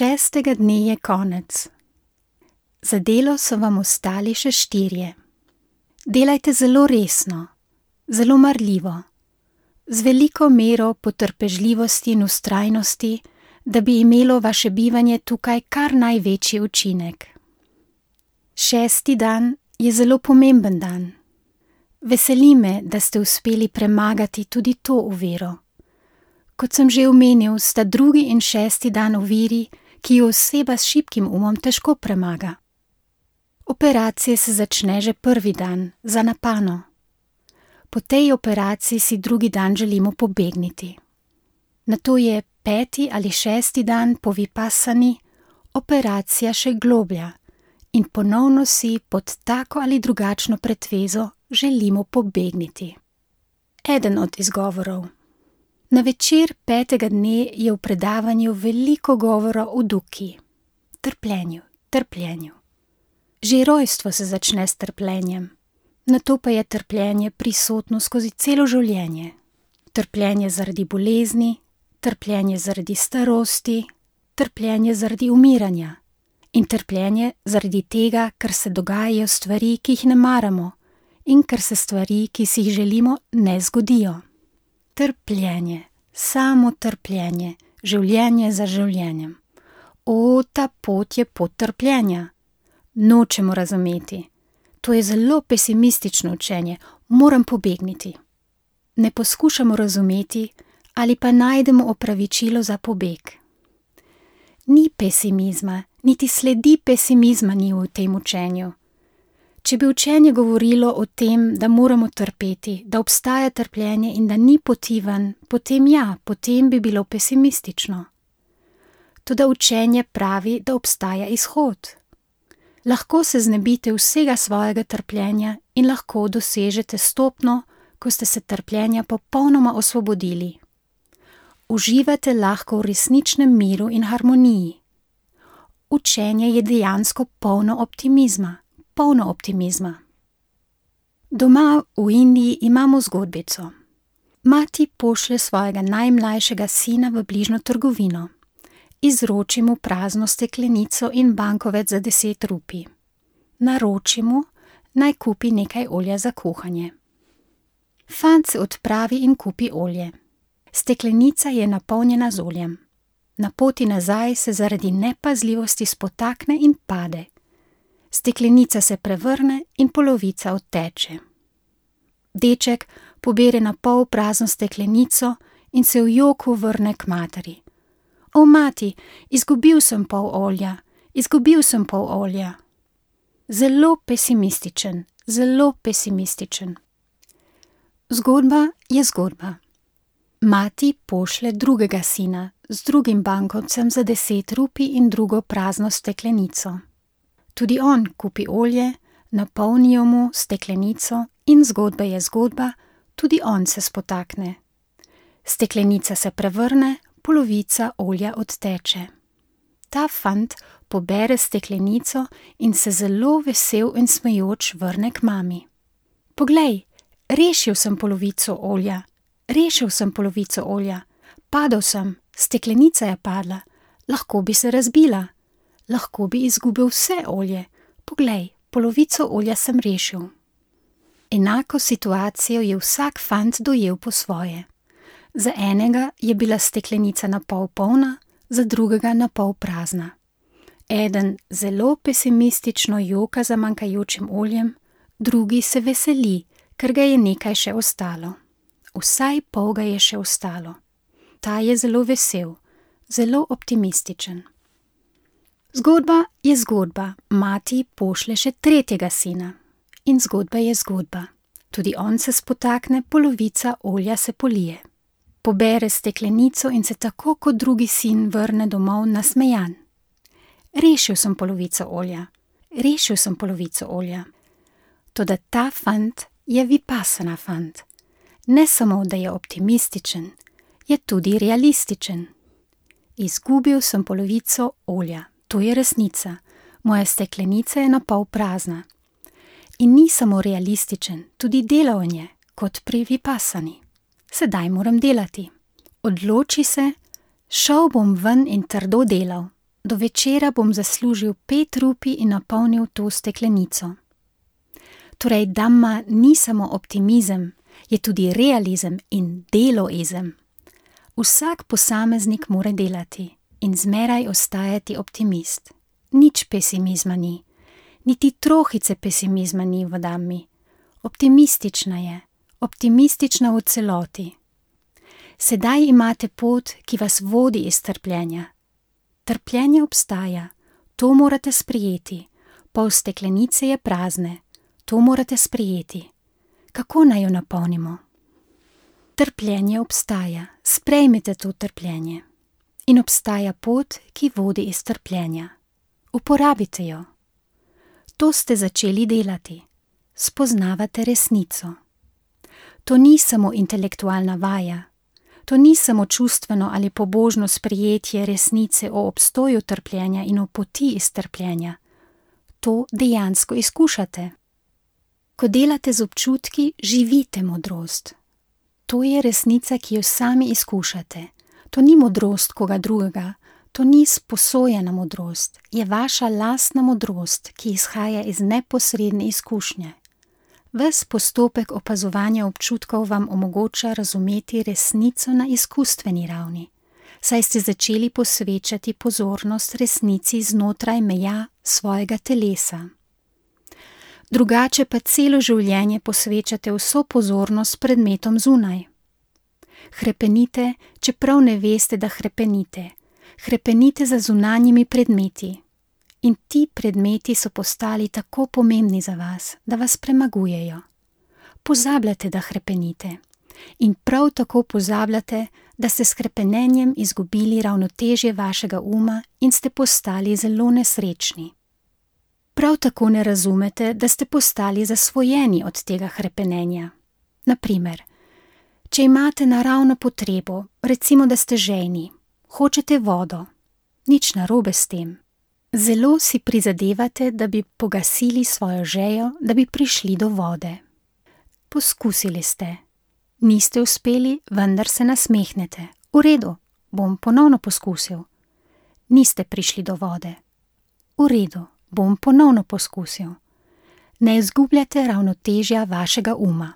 6. dne je konec. Za delo so vam ostali še 4. Delajte zelo resno, zelo marljivo, z veliko mero potrpežljivosti in vztrajnosti, da bi imelo vaše bivanje tukaj kar največji učinek. 6. dan je zelo pomemben dan. Veseli me, da ste uspeli premagati tudi to oviro. Kot sem že omenil, sta 2. in 6. dan oviri, ki jo oseba s šibkim umom težko premaga. Operacija se začne že 1. dan, za napano. Po tej operaciji si 2. dan želimo pobegniti. Nato je 5. ali 6. dan po vipassani operacija še globlja in ponovno si pod tako ali drugačno pretvezo želimo pobegniti. Eden od izgovorov. Na večer 5. dne je v predavanju veliko govora o duki, trpljenju. Že rojstvo se začne s trpljenjem, nato pa je trpljenje prisotno skozi celo življenje. Trpljenje zaradi bolezni, trpljenje zaradi starosti, trpljenje zaradi umiranja in trpljenje zaradi tega, ker se dogajajo stvari, ki jih ne maramo in ker se stvari, ki si jih želimo, ne zgodijo. Trpljenje, samo trpljenje, življenje za življenjem. O, ta pot je pot trpljenja. Nočemo razumeti. To je zelo pesimistično učenje, moram pobegniti. Ne poskušamo razumeti ali pa najdemo opravičilo za pobeg. Ni pesimizma, niti sledi pesimizma ni v tem učenju. Če bi učenje govorilo o tem, da moramo trpeti, da obstaja trpljenje in da ni poti ven, potem bi bilo pesimistično. Toda učenje pravi, da obstaja izhod. Lahko se znebite vsega svojega trpljenja in lahko dosežete stopnjo, ko ste se trpljenja popolnoma osvobodili. Uživate lahko v resničnem miru in harmoniji. Učenje je dejansko polno optimizma. Doma v Indiji imamo zgodbico. Mati pošlje svojega najmlajšega sina v bližnjo trgovino. Izroči mu prazno steklenico in bankovec za 10 rupij. Naroči mu, naj kupi nekaj olja za kuhanje. Fant se odpravi in kupi olje. Steklenica je napolnjena z oljem. Na poti nazaj se zaradi nepazljivosti spotakne in pade. Steklenica se prevrne in polovica odteče. Deček pobere na pol prazno steklenico in se v joku vrne k materi. O, mati, izgubil sem pol olja. Zelo pesimističen. Zgodba je zgodba. Mati pošlje drugega sina z drugim bankovcem za 10 rupij in drugo prazno steklenico. Tudi on kupi olje, napolnijo mu steklenico in zgodba je zgodba, tudi on se spotakne. Steklenica se prevrne, polovica olja odteče. Ta fant pobere steklenico in se zelo vesel in smejoč vrne k mami. Poglej, rešil sem polovico olja. Padel sem, steklenica je padla, lahko bi se razbila. Lahko bi izgubil vse olje. Poglej, polovico olja sem rešil. Enako situacijo je vsak fant dojel po svoje. Za enega je bila steklenica napol polna, za drugega napol prazna. Eden zelo pesimistično joka za manjkajočim oljem, drugi se veseli, ker ga je nekaj še ostalo. Vsaj pol ga je še ostalo. Ta je zelo vesel, zelo optimističen. Zgodba je zgodba, mati pošlje še 3. sina. In zgodba je zgodba. Tudi on se spotakne, polovica olja se polije. Pobere steklenico in se tako kot drugi sin vrne domov nasmejan. Rešil sem polovico olja. Toda ta fant je vipassana fant. Ne samo, da je optimističen, je tudi realističen. Izgubil sem polovico olja. To je resnica. Moja steklenica je napol prazna. In ni samo realističen, tudi deloven je, kot pri vipassani. Sedaj moram delati. Odloči se, šel bom ven in trdo delal. do večera bom zaslužil 5 rupij in napolnil to steklenico. Torej, Dhamma ni samo optimizem, je tudi realizem in deloizem. Vsak posameznik mora delati in zmeraj ostajati optimist. Nič pesimizma ni, niti trohice pesimizma ni v Dhammi. Optimistična je, optimistična v celoti. Sedaj imate pot, ki vas vodi iz trpljenja. Trpljenje obstaja, to morate sprejeti. Pol steklenice je prazne, to morate sprejeti. Kako naj jo napolnimo? Trpljenje obstaja, sprejmite to trpljenje. In obstaja pot, ki vodi iz trpljenja. Uporabite jo. To ste začeli delati. Spoznavate resnico. To ni samo intelektualna vaja. To ni samo čustveno ali pobožno sprejetje resnice o obstoju trpljenja in o poti iz trpljenja. To dejansko izkušate. Ko delate z občutki, živite modrost. To je resnica, ki jo sami izkušate. To ni modrost koga drugega, to ni sposojena modrost, je vaša lastna modrost, ki izhaja iz neposredne izkušnje. Ves postopek opazovanja občutkov vam omogoča razumeti resnico na izkustveni ravni, saj ste začeli posvečati pozornost resnici znotraj meja svojega telesa. Drugače pa celo življenje posvečate vso pozornost predmetom zunaj. Hrepenite, čeprav ne veste, da hrepenite. Hrepenite za zunanjimi predmeti. In ti predmeti so postali tako pomembni za vas, da vas premagujejo. Pozabljate, da hrepenite. In prav tako pozabljate, da ste s hrepenenjem izgubili ravnotežje vašega uma in ste postali zelo nesrečni. Prav tako ne razumete, da ste postali zasvojeni od tega hrepenenja. Naprimer, če imate naravno potrebo, recimo, da ste žejni, hočete vodo, nič narobe s tem. Zelo si prizadevate, da bi pogasili svojo žejo, da bi prišli do vode. Poskusili ste. Niste uspeli, vendar se nasmehnete. V redu, bom ponovno poskusil. Niste prišli do vode. V redu, bom ponovno poskusil. Ne izgubljate ravnotežja vašega uma.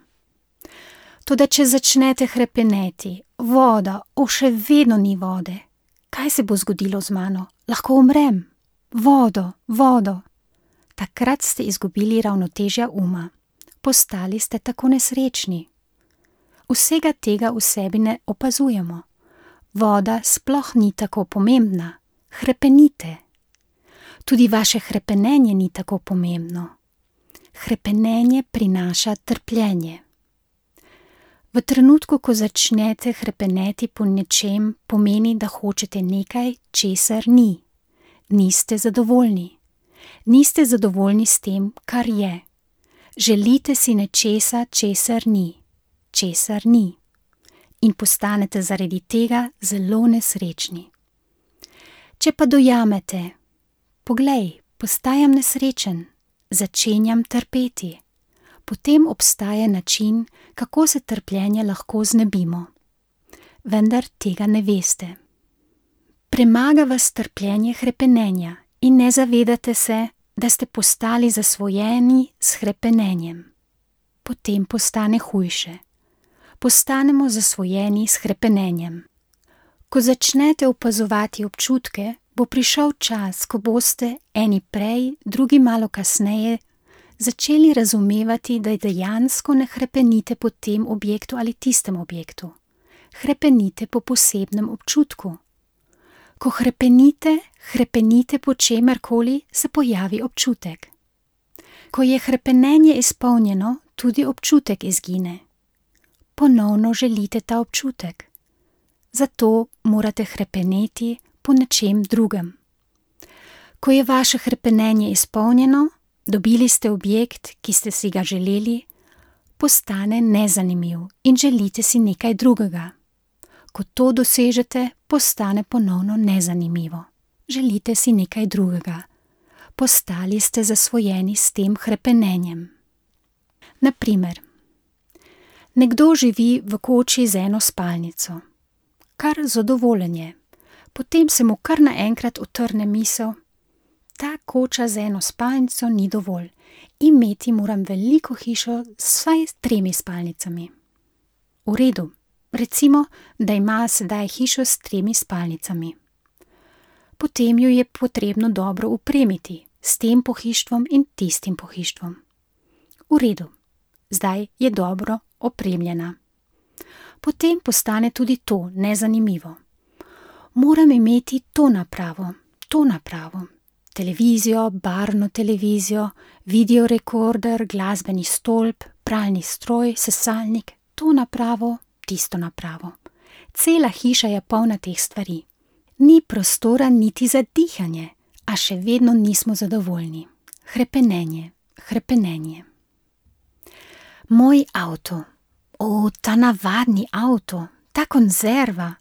Toda če začnete hrepeneti, voda, še vedno ni vode. Kaj se bo zgodilo z mano? Lahko umrem. Vodo, vodo. Takrat ste izgubili ravnotežja uma. Postali ste tako nesrečni. Vsega tega v sebi ne opazujemo. Voda sploh ni tako pomembna. Hrepenite. Tudi vaše hrepenenje ni tako pomembno. Hrepenenje prinaša trpljenje. V trenutku, ko začnete hrepeneti po nečem, pomeni, da hočete nekaj, česar ni. Niste zadovoljni. Niste zadovoljni s tem, kar je. Želite si nečesa, česar ni. Česar ni. In postanete zaradi tega zelo nesrečni. Če pa dojamete, poglej, postajam nesrečen, začenjam trpeti, potem obstaja način, kako se trpljenja lahko znebimo. Vendar tega ne veste. Premaga vas trpljenje hrepenenja in ne zavedate se, da ste postali zasvojeni s hrepenenjem. Potem postane hujše. Postanemo zasvojeni s hrepenenjem. Ko začnete opazovati občutke, bo prišel čas, ko boste eni prej, drugi malo kasneje začeli razumevati, da dejansko ne hrepenite po tem objektu ali tistem objektu. Hrepenite po posebnem občutku. Ko hrepenite, hrepenite po čemerkoli, se pojavi občutek. Ko je hrepenenje izpolnjeno, tudi občutek izgine. Ponovno želite ta občutek. Zato morate hrepeneti po nečem drugem. Ko je vaše hrepenenje izpolnjeno, dobili ste objekt, ki ste si ga želeli, postane nezanimiv in želite si nekaj drugega. Ko to dosežete, postane ponovno nezanimivo. Želite si nekaj drugega. Postali ste zasvojeni s tem hrepenenjem. Naprimer, nekdo živi v koči z eno spalnico. Kar zadovoljen je. Potem se mu kar naenkrat utrne misel: ta koča z eno spalnico ni dovolj, imeti moram veliko hišo s vsaj 3 spalnicami. V redu, recimo, da ima sedaj hišo s 3 spalnicami. Potem jo je potrebno dobro opremiti, s tem pohištvom in tistim pohištvom. V redu, zdaj je dobro opremljena. Potem postane tudi to nezanimivo. Moram imeti to napravo, televizijo, barvno televizijo, videorekorder, glasbeni stolp, pralni stroj, sesalnik, to napravo, tisto napravo. Cela hiša je polna teh stvari. Ni prostora niti za dihanje, a še vedno nismo zadovoljni. Hrepenenje. Moj avto. O, ta navadni avto, ta konzerva.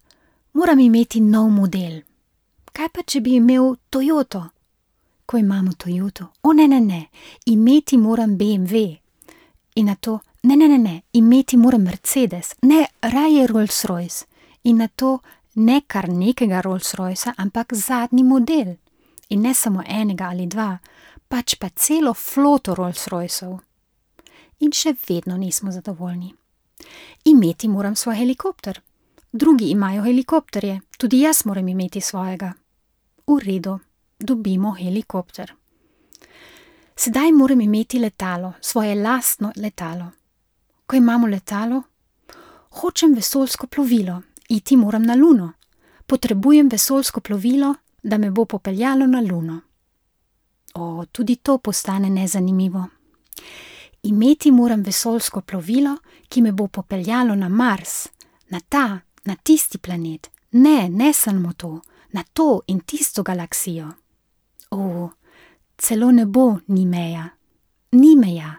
Moram imeti nov model. Kaj pa, če bi imel Toyoto? Ko imamo Toyoto, ne, imeti moram BMW. In na to, ne, imeti moram Mercedes, ne, raje Rolls-Royce. In na to, ne kar nekega Rolls-Roycea, ampak zadnji model. In ne samo enega ali 2, pač pa celo floto Rolls-Royceov. In še vedno nismo zadovoljni. Imeti moram svoj helikopter. Drugi imajo helikopterje, tudi jaz moram imeti svojega. V redu, dobimo helikopter. Sedaj moram imeti letalo, svoje lastno letalo. Ko imamo letalo, hočem vesoljsko plovilo, iti moram na Luno. Potrebujem vesoljsko plovilo, da me bo popeljalo na Luno. O, tudi to postane nezanimivo. Imeti moram vesoljsko plovilo, ki me bo popeljalo na Mars, na tisti planet. Ne samo to, na to in tisto galaksijo. O, celo nebo ni meja. Ni meja.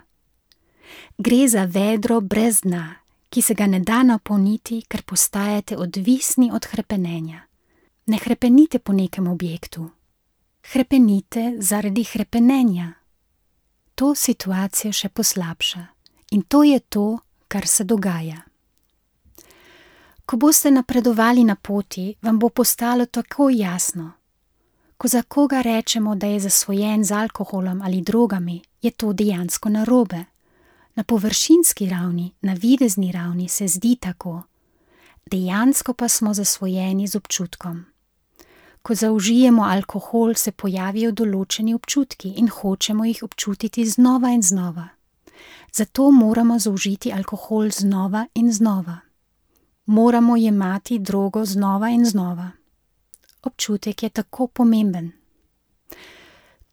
Gre za vedro brez dna, ki se ga ne da napolniti, ker postajate odvisni od hrepenenja. Ne hrepenite po nekem objektu. Hrepenite zaradi hrepenenja. To situacijo še poslabša. In to je to, kar se dogaja. Ko boste napredovali na poti, vam bo postalo tako jasno. Ko za koga rečemo, da je zasvojen z alkoholom ali drogami, je to dejansko narobe. Na površinski ravni, na videzni ravni se zdi tako. Dejansko pa smo zasvojeni z občutkom. Ko zaužijemo alkohol, se pojavijo določeni občutki in hočemo jih občutiti znova in znova. Zato moramo zaužiti alkohol znova in znova. Moramo jemati drogo znova in znova. Občutek je tako pomemben.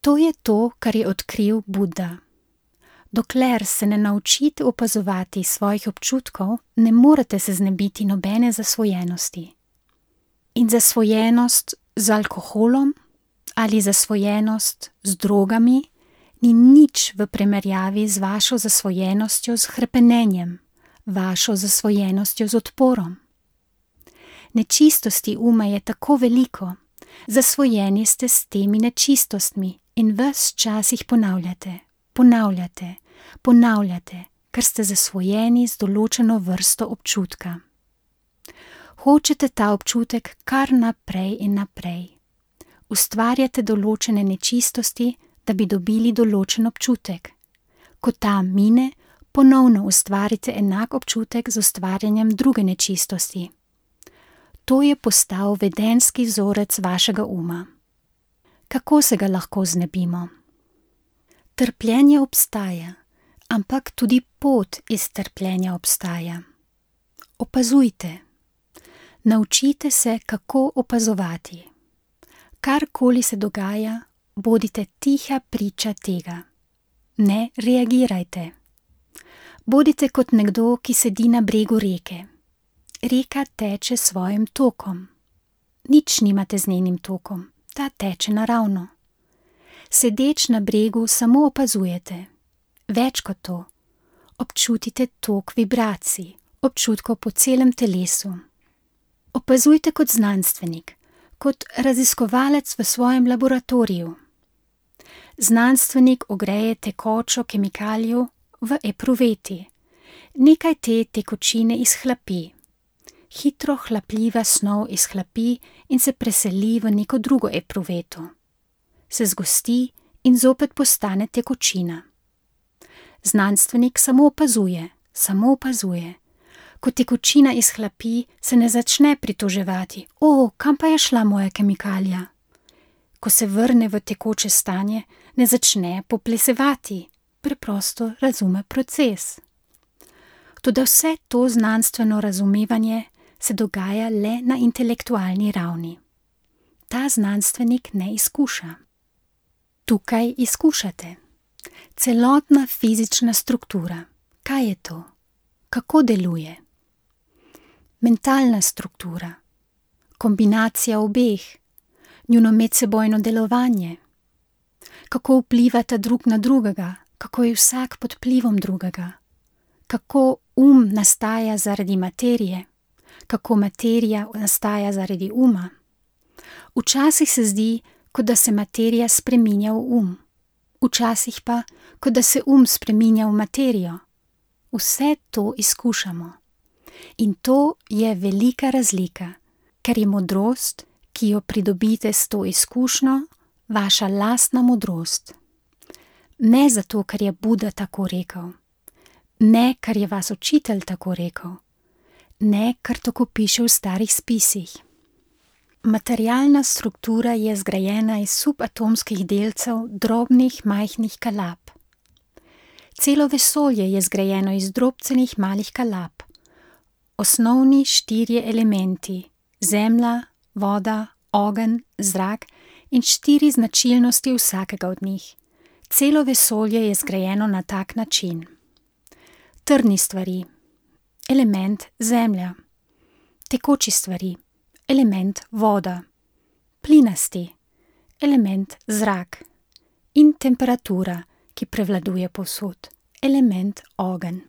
To je to, kar je odkril Buddha. Dokler se ne naučite opazovati svojih občutkov, ne morete se znebiti nobene zasvojenosti. In zasvojenost z alkoholom ali zasvojenost z drogami ni nič v primerjavi z vašo zasvojenostjo z hrepenenjem, vašo zasvojenostjo z odporom. Nečistosti uma je tako veliko, zasvojeni ste s temi nečistostmi in ves čas jih ponavljate, ker ste zasvojeni z določeno vrsto občutka. Hočete ta občutek kar naprej in naprej. Ustvarjate določene nečistosti, da bi dobili določen občutek. Ko ta mine, ponovno ustvarite enak občutek z ustvarjanjem druge nečistosti. To je postal vedenjski vzorec vašega uma. Kako se ga lahko znebimo? Trpljenje obstaja, ampak tudi pot iz trpljenja obstaja. Opazujte. Naučite se, kako opazovati. Karkoli se dogaja, bodite tiha priča tega. Ne reagirajte. Bodite kot nekdo, ki sedi na bregu reke. Reka teče svojim tokom. Nič nimate z njenim tokom, ta teče naravno. Sedeč na bregu samo opazujete. Več kot to. Občutite tok vibracij, občutkov po celem telesu. Opazujte kot znanstvenik, kot raziskovalec v svojem laboratoriju. Znanstvenik ogreje tekočo kemikalijo v epruveti. Nekaj te tekočine izhlapi. hitro hlapljiva snov izhlapi in se preseli v neko drugo epruveto. Se zgosti in zopet postane tekočina. Znanstvenik samo opazuje. Ko tekočina izhlapi, se ne začne pritoževati, kam pa je šla moja kemikalija? Ko se vrne v tekoče stanje, ne začne poplesevati, preprosto razume proces. Toda vse to znanstveno razumevanje se dogaja le na intelektualni ravni. Ta znanstvenik ne izkuša. Tukaj izkušate. Celotna fizična struktura. Kaj je to? Kako deluje? Mentalna struktura. Kombinacija obeh. Njuno medsebojno delovanje. Kako vplivata drug na drugega, kako je vsak pod vplivom drugega. Kako nastaja zaradi materije, kako materija nastaja zaradi uma. Včasih se zdi, kot da se materija spreminja v včasih pa, kot da se spreminja v materijo. Vse to izkušamo. In to je velika razlika, ker je modrost, ki jo pridobite s to izkušnjo, vaša lastna modrost. Ne zato, ker je Buda tako rekel. Ne, ker je vas učitelj tako rekel. Ne, ker tako piše v starih spisih. Materialna struktura je zgrajena iz subatomskih delcev drobnih majhnih kalap. Celo vesolje je zgrajeno iz drobcenih malih kalap. Osnovni 4 elementi, zemlja, voda, ogenj, zrak in 4 značilnosti vsakega od njih. Celo vesolje je zgrajeno na tak način. Trdni stvari, element zemlja, tekoči stvari, element voda, plinasti, element zrak in temperatura, ki prevladuje povsod, element ogenj.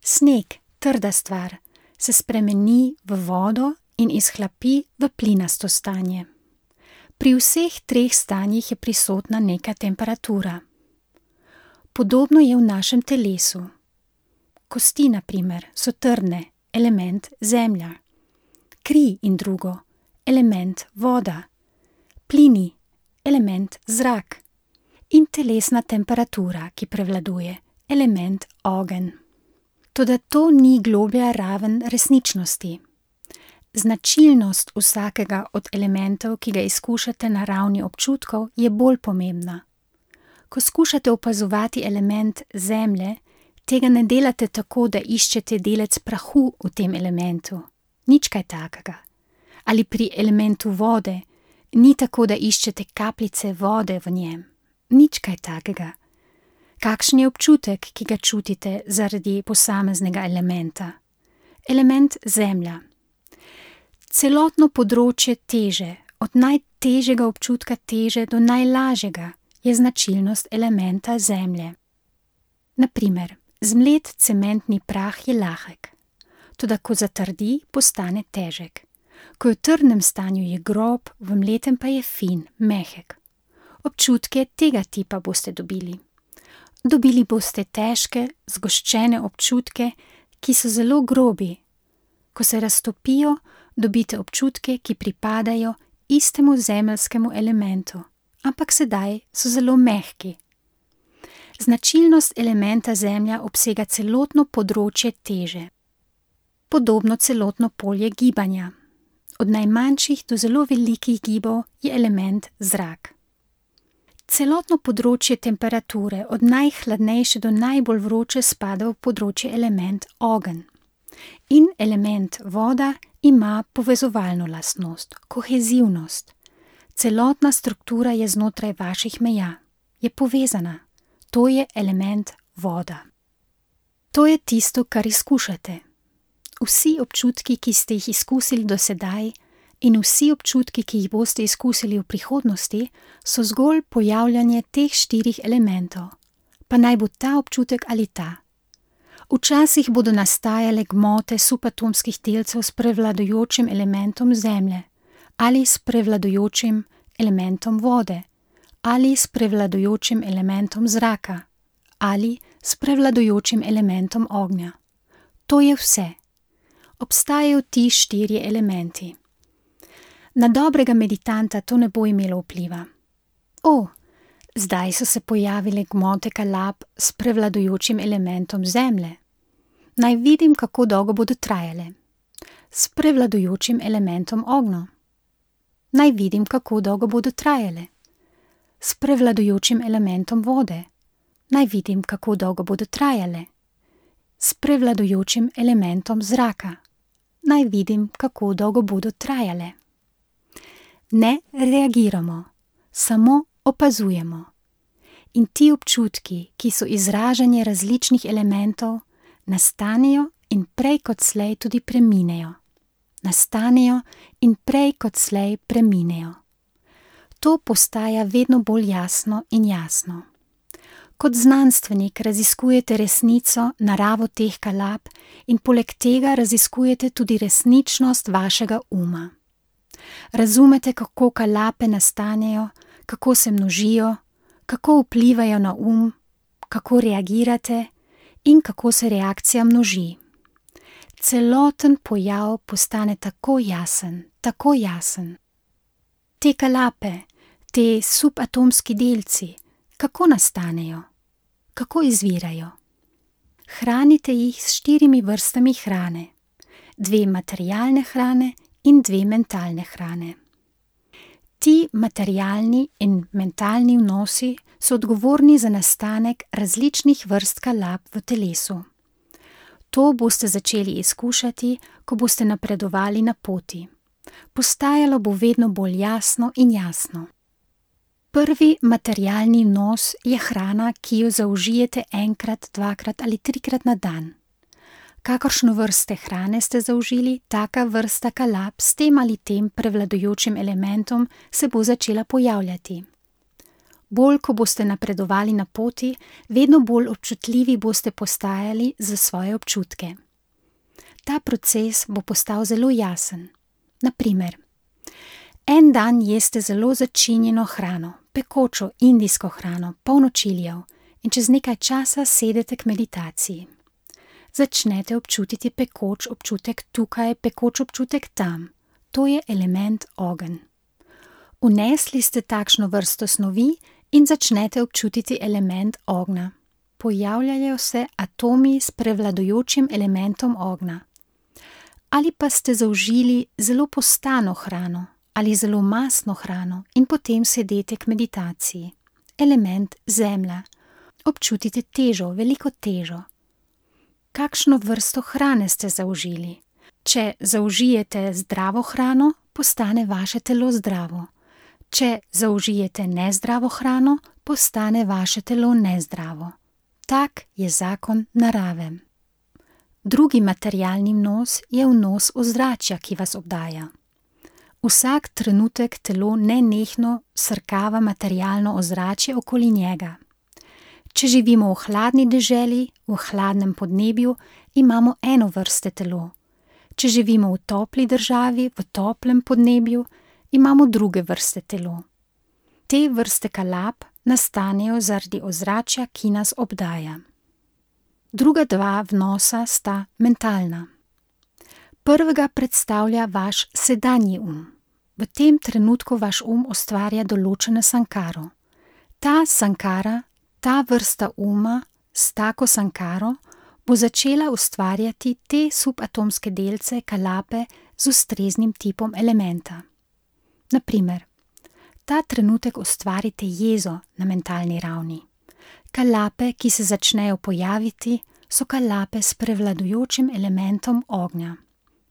Sneg, trda stvar, se spremeni v vodo in izhlapi v plinasto stanje. Pri vseh 3 stanjih je prisotna neka temperatura. Podobno je v našem telesu. Kosti, na primer, so trdne, element zemlja. Kri in drugo, element voda. Plini, element zrak. In telesna temperatura, ki prevladuje, element ogenj. Toda to ni globlja raven resničnosti. Značilnost vsakega od elementov, ki ga izkušate na ravni občutkov, je bolj pomembna. Ko skušate opazovati element zemlje, tega ne delate tako, da iščete delec prahu v tem elementu. Nič kaj takega. Ali pri elementu vode, ni tako, da iščete kapljice vode v njem. Nič kaj takega. Kakšen je občutek, ki ga čutite zaradi posameznega elementa? Element zemlja. Celotno področje teže, od najtežjega občutka teže do najlažjega, je značilnost elementa zemlje. Na primer, zmlet cementni prah je lahek, toda ko zatrdi, postane težek. Ko je v trdnem stanju, je grob, v mletem pa je fin, mehek. Občutke tega tipa boste dobili. Dobili boste težke, zgoščene občutke, ki so zelo grobi. Ko se raztopijo, dobite občutke, ki pripadajo istemu zemeljskemu elementu, ampak sedaj so zelo mehki. Značilnost elementa zemlja obsega celotno področje teže. Podobno celotno polje gibanja. Od najmanjših do zelo velikih gibov je element zrak. Celotno področje temperature, od najhladnejše do najbolj vroče, spada v področje element ogenj. In element voda ima povezovalno lastnost, kohezivnost. Celotna struktura je znotraj vaših meja, je povezana. To je element voda. To je tisto, kar izkušate. Vsi občutki, ki ste jih izkusili do sedaj, in vsi občutki, ki jih boste izkusili v prihodnosti, so zgolj pojavljanje teh 4 elementov, pa naj bo ta občutek ali ta. Včasih bodo nastajale gmote subatomskih delcev s prevladujočim elementom zemlje, ali s prevladujočim elementom vode, ali s prevladujočim elementom zraka, ali s prevladujočim elementom ognja. To je vse. obstajajo ti 4 elementi. Na dobrega meditanta to ne bo imelo vpliva. Zdaj so se pojavile gmote kalap s prevladujočim elementom zemlje. Naj vidim, kako dolgo bodo trajale. S prevladujočim elementom ognja. Naj vidim, kako dolgo bodo trajale. S prevladujočim elementom vode. Naj vidim, kako dolgo bodo trajale. S prevladujočim elementom zraka. Naj vidim, kako dolgo bodo trajale. Ne reagiramo, samo opazujemo. In ti občutki, ki so izražanje različnih elementov, nastanejo in prej kot slej tudi preminejo. Nastanejo in prej kot slej preminejo. To postaja vedno bolj jasno in jasno. Kot znanstvenik raziskujete resnico, naravo teh kalap in poleg tega raziskujete tudi resničnost vašega uma. Razumete, kako kalape nastanejo, kako se množijo, kako vplivajo na kako reagirate in kako se reakcija množi. Celoten pojav postane tako jasen, tako jasen. Te kalape, te subatomski delci, kako nastanejo, kako izvirajo. Hranite jih s 4 vrstami hrane, 2 materialne hrane in 2 mentalne hrane. Ti materialni in mentalni vnosi so odgovorni za nastanek različnih vrst kalap v telesu. To boste začeli izkušati, ko boste napredovali na poti. Postajalo bo vedno bolj jasno in jasno. Prvi materialni vnos je hrana, ki jo zaužijete 1-krat, 2-krat ali 3-krat na dan. Kakršno vrste hrane ste zaužili, taka vrsta kalap s tem ali tem prevladujočim elementom se bo začela pojavljati. Bolj, ko boste napredovali na poti, vedno bolj občutljivi boste postajali za svoje občutke. Ta proces bo postal zelo jasen. Na primer, en dan jeste zelo začinjeno hrano, pekočo indijsko hrano, polno čilijev in čez nekaj časa sedete k meditaciji. Začnete občutiti pekoč občutek tukaj, pekoč občutek tam. To je element ogenj. Vnesli ste takšno vrsto snovi in začnete občutiti element ognja. Pojavljajo se atomi s prevladujočim elementom ognja. Ali pa ste zaužili zelo postano hrano ali zelo mastno hrano in potem sedete k meditaciji. Element zemlja. Občutite težo, veliko težo. Kakšno vrsto hrane ste zaužili? Če zaužijete zdravo hrano, postane vaše telo zdravo. Če zaužijete nezdravo hrano, postane vaše telo nezdravo. Tak je zakon narave. Drugi materialni vnos je vnos ozračja, ki vas obdaja. Vsak trenutek telo nenehno srkava materialno ozračje okoli njega. Če živimo v hladni deželi, v hladnem podnebju, imamo eno vrste telo. Če živimo v topli državi, v toplem podnebju, imamo druge vrste telo. Te vrste kalap nastanejo zaradi ozračja, ki nas obdaja. Druga 2 vnosa sta mentalna. Prvega predstavlja vaš sedanji V tem trenutku vaš ustvarja določeno sankaro. Ta sankara, ta vrsta s tako sankaro bo začela ustvarjati te subatomske delce, kalape z ustreznim tipom elementa. Na primer, ta trenutek ustvarite jezo na mentalni ravni. Kalape, ki se začnejo pojaviti, so kalape s prevladujočim elementom ognja.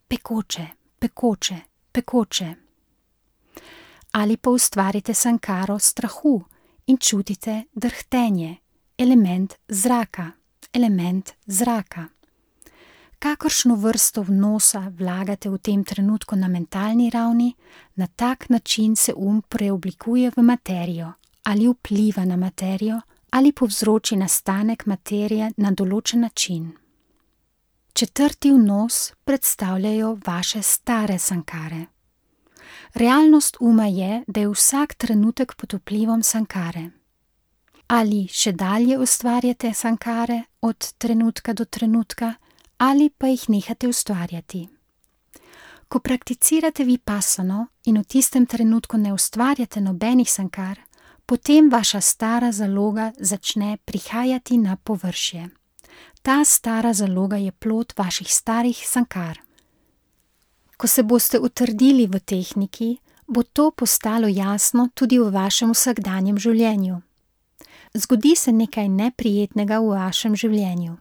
Pekoče, pekoče, pekoče. Ali pa ustvarite sankaro strahu in čutite drhtenje, element zraka, element zraka. Kakršno vrsto vnosa vlagate v tem trenutku na mentalni ravni, na tak način se preoblikuje v materijo, ali vpliva na materijo, ali povzroči nastanek materije na določen način. Četrti vnos predstavljajo vaše stare sankare. Realnost je, da je vsak trenutek pod vplivom sankare. Ali še dalje ustvarjate sankare od trenutka do trenutka, ali pa jih nehate ustvarjati. Ko prakticirate vipassano in v tistem trenutku ne ustvarjate nobenih sankar, potem vaša stara zaloga začne prihajati na površje. Ta stara zaloga je plod vaših starih sankar. Ko se boste utrdili v tehniki, bo to postalo jasno tudi v vašem vsakdanjem življenju. Zgodi se nekaj neprijetnega v vašem življenju.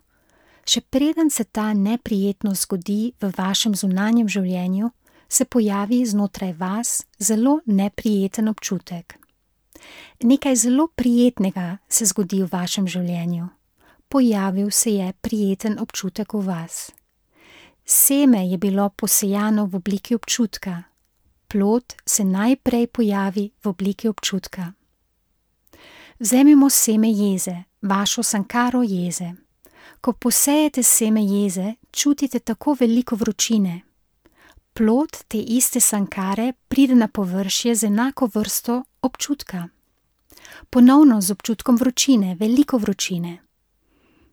Še preden se ta neprijetnost zgodi v vašem zunanjem življenju, se pojavi znotraj vas zelo neprijeten občutek. Nekaj zelo prijetnega se zgodi v vašem življenju. Pojavil se je prijeten občutek v vas. Seme je bilo posejano v obliki občutka. Plod se najprej pojavi v obliki občutka. Vzemimo seme jeze, vašo sankaro jeze. Ko posejete seme jeze, čutite tako veliko vročine. Plod te iste sankare pride na površje z enako vrsto občutka. Ponovno z občutkom vročine, veliko vročine.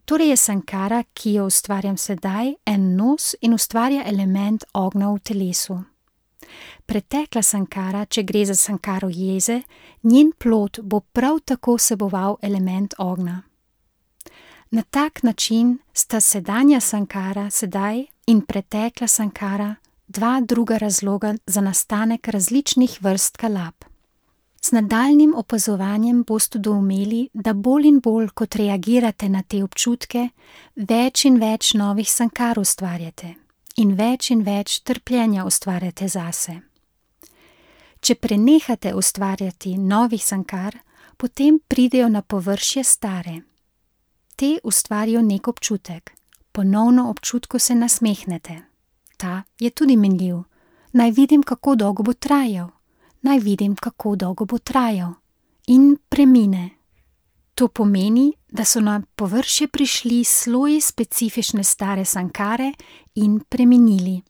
Torej je sankara, ki jo ustvarjam sedaj, en nos in ustvarja element ognja v telesu. Pretekla sankara, če gre za sankaro jeze, njen plod bo prav tako vseboval element ognja. Na tak način sta sedanja sankara sedaj in pretekla sankara dva druga razloga za nastanek različnih vrst kalab. Z nadaljnjim opazovanjem boste doumeli, da bolj in bolj, kot reagirate na te občutke, več in več novih sankar ustvarjate in več trpljenja ustvarjate zase. Če prenehate ustvarjati novih sankar, potem pridejo na površje stare. Te ustvarijo nek občutek. Ponovno občutku se nasmehnete. Ta je tudi minljiv. Naj vidim, kako dolgo bo trajal. Naj vidim, kako dolgo bo trajal. In premine. To pomeni, da so na površje prišli sloji specifične stare sankare in preminili.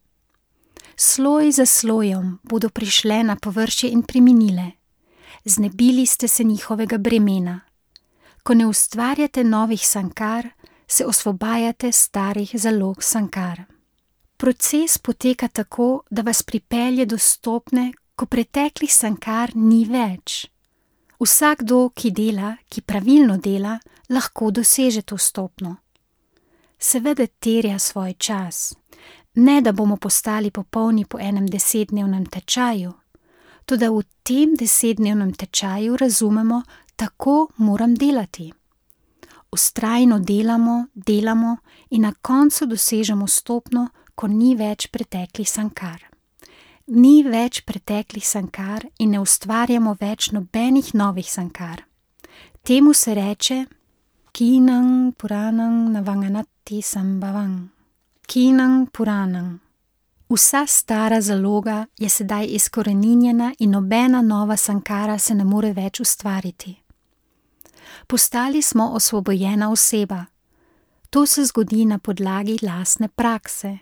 Sloj za slojem bodo prišle na površje in preminile. Znebili ste se njihovega bremena. Ko ne ustvarjate novih sankar, se osvobajate starih zalog sankar. Proces poteka tako, da vas pripelje do stopnje, ko preteklih sankar ni več. Vsakdo, ki dela, ki pravilno dela, lahko doseže to stopnjo. Seveda terja svoj čas. Ne, da bomo postali popolni po enem 10-dnevnem tečaju, toda v tem 10-dnevnem tečaju razumemo, tako moram delati. Vztrajno delamo in na koncu dosežemo stopnjo, ko ni več preteklih sankar. Ni več preteklih sankar in ne ustvarjamo več nobenih novih sankar. Temu se reče Kinang Puranang Navanganati Sambhavang. Kinang Puranang. Vsa stara zaloga je sedaj izkoreninjena in nobena nova sankara se ne more več ustvariti. Postali smo osvobojena oseba. To se zgodi na podlagi lastne prakse.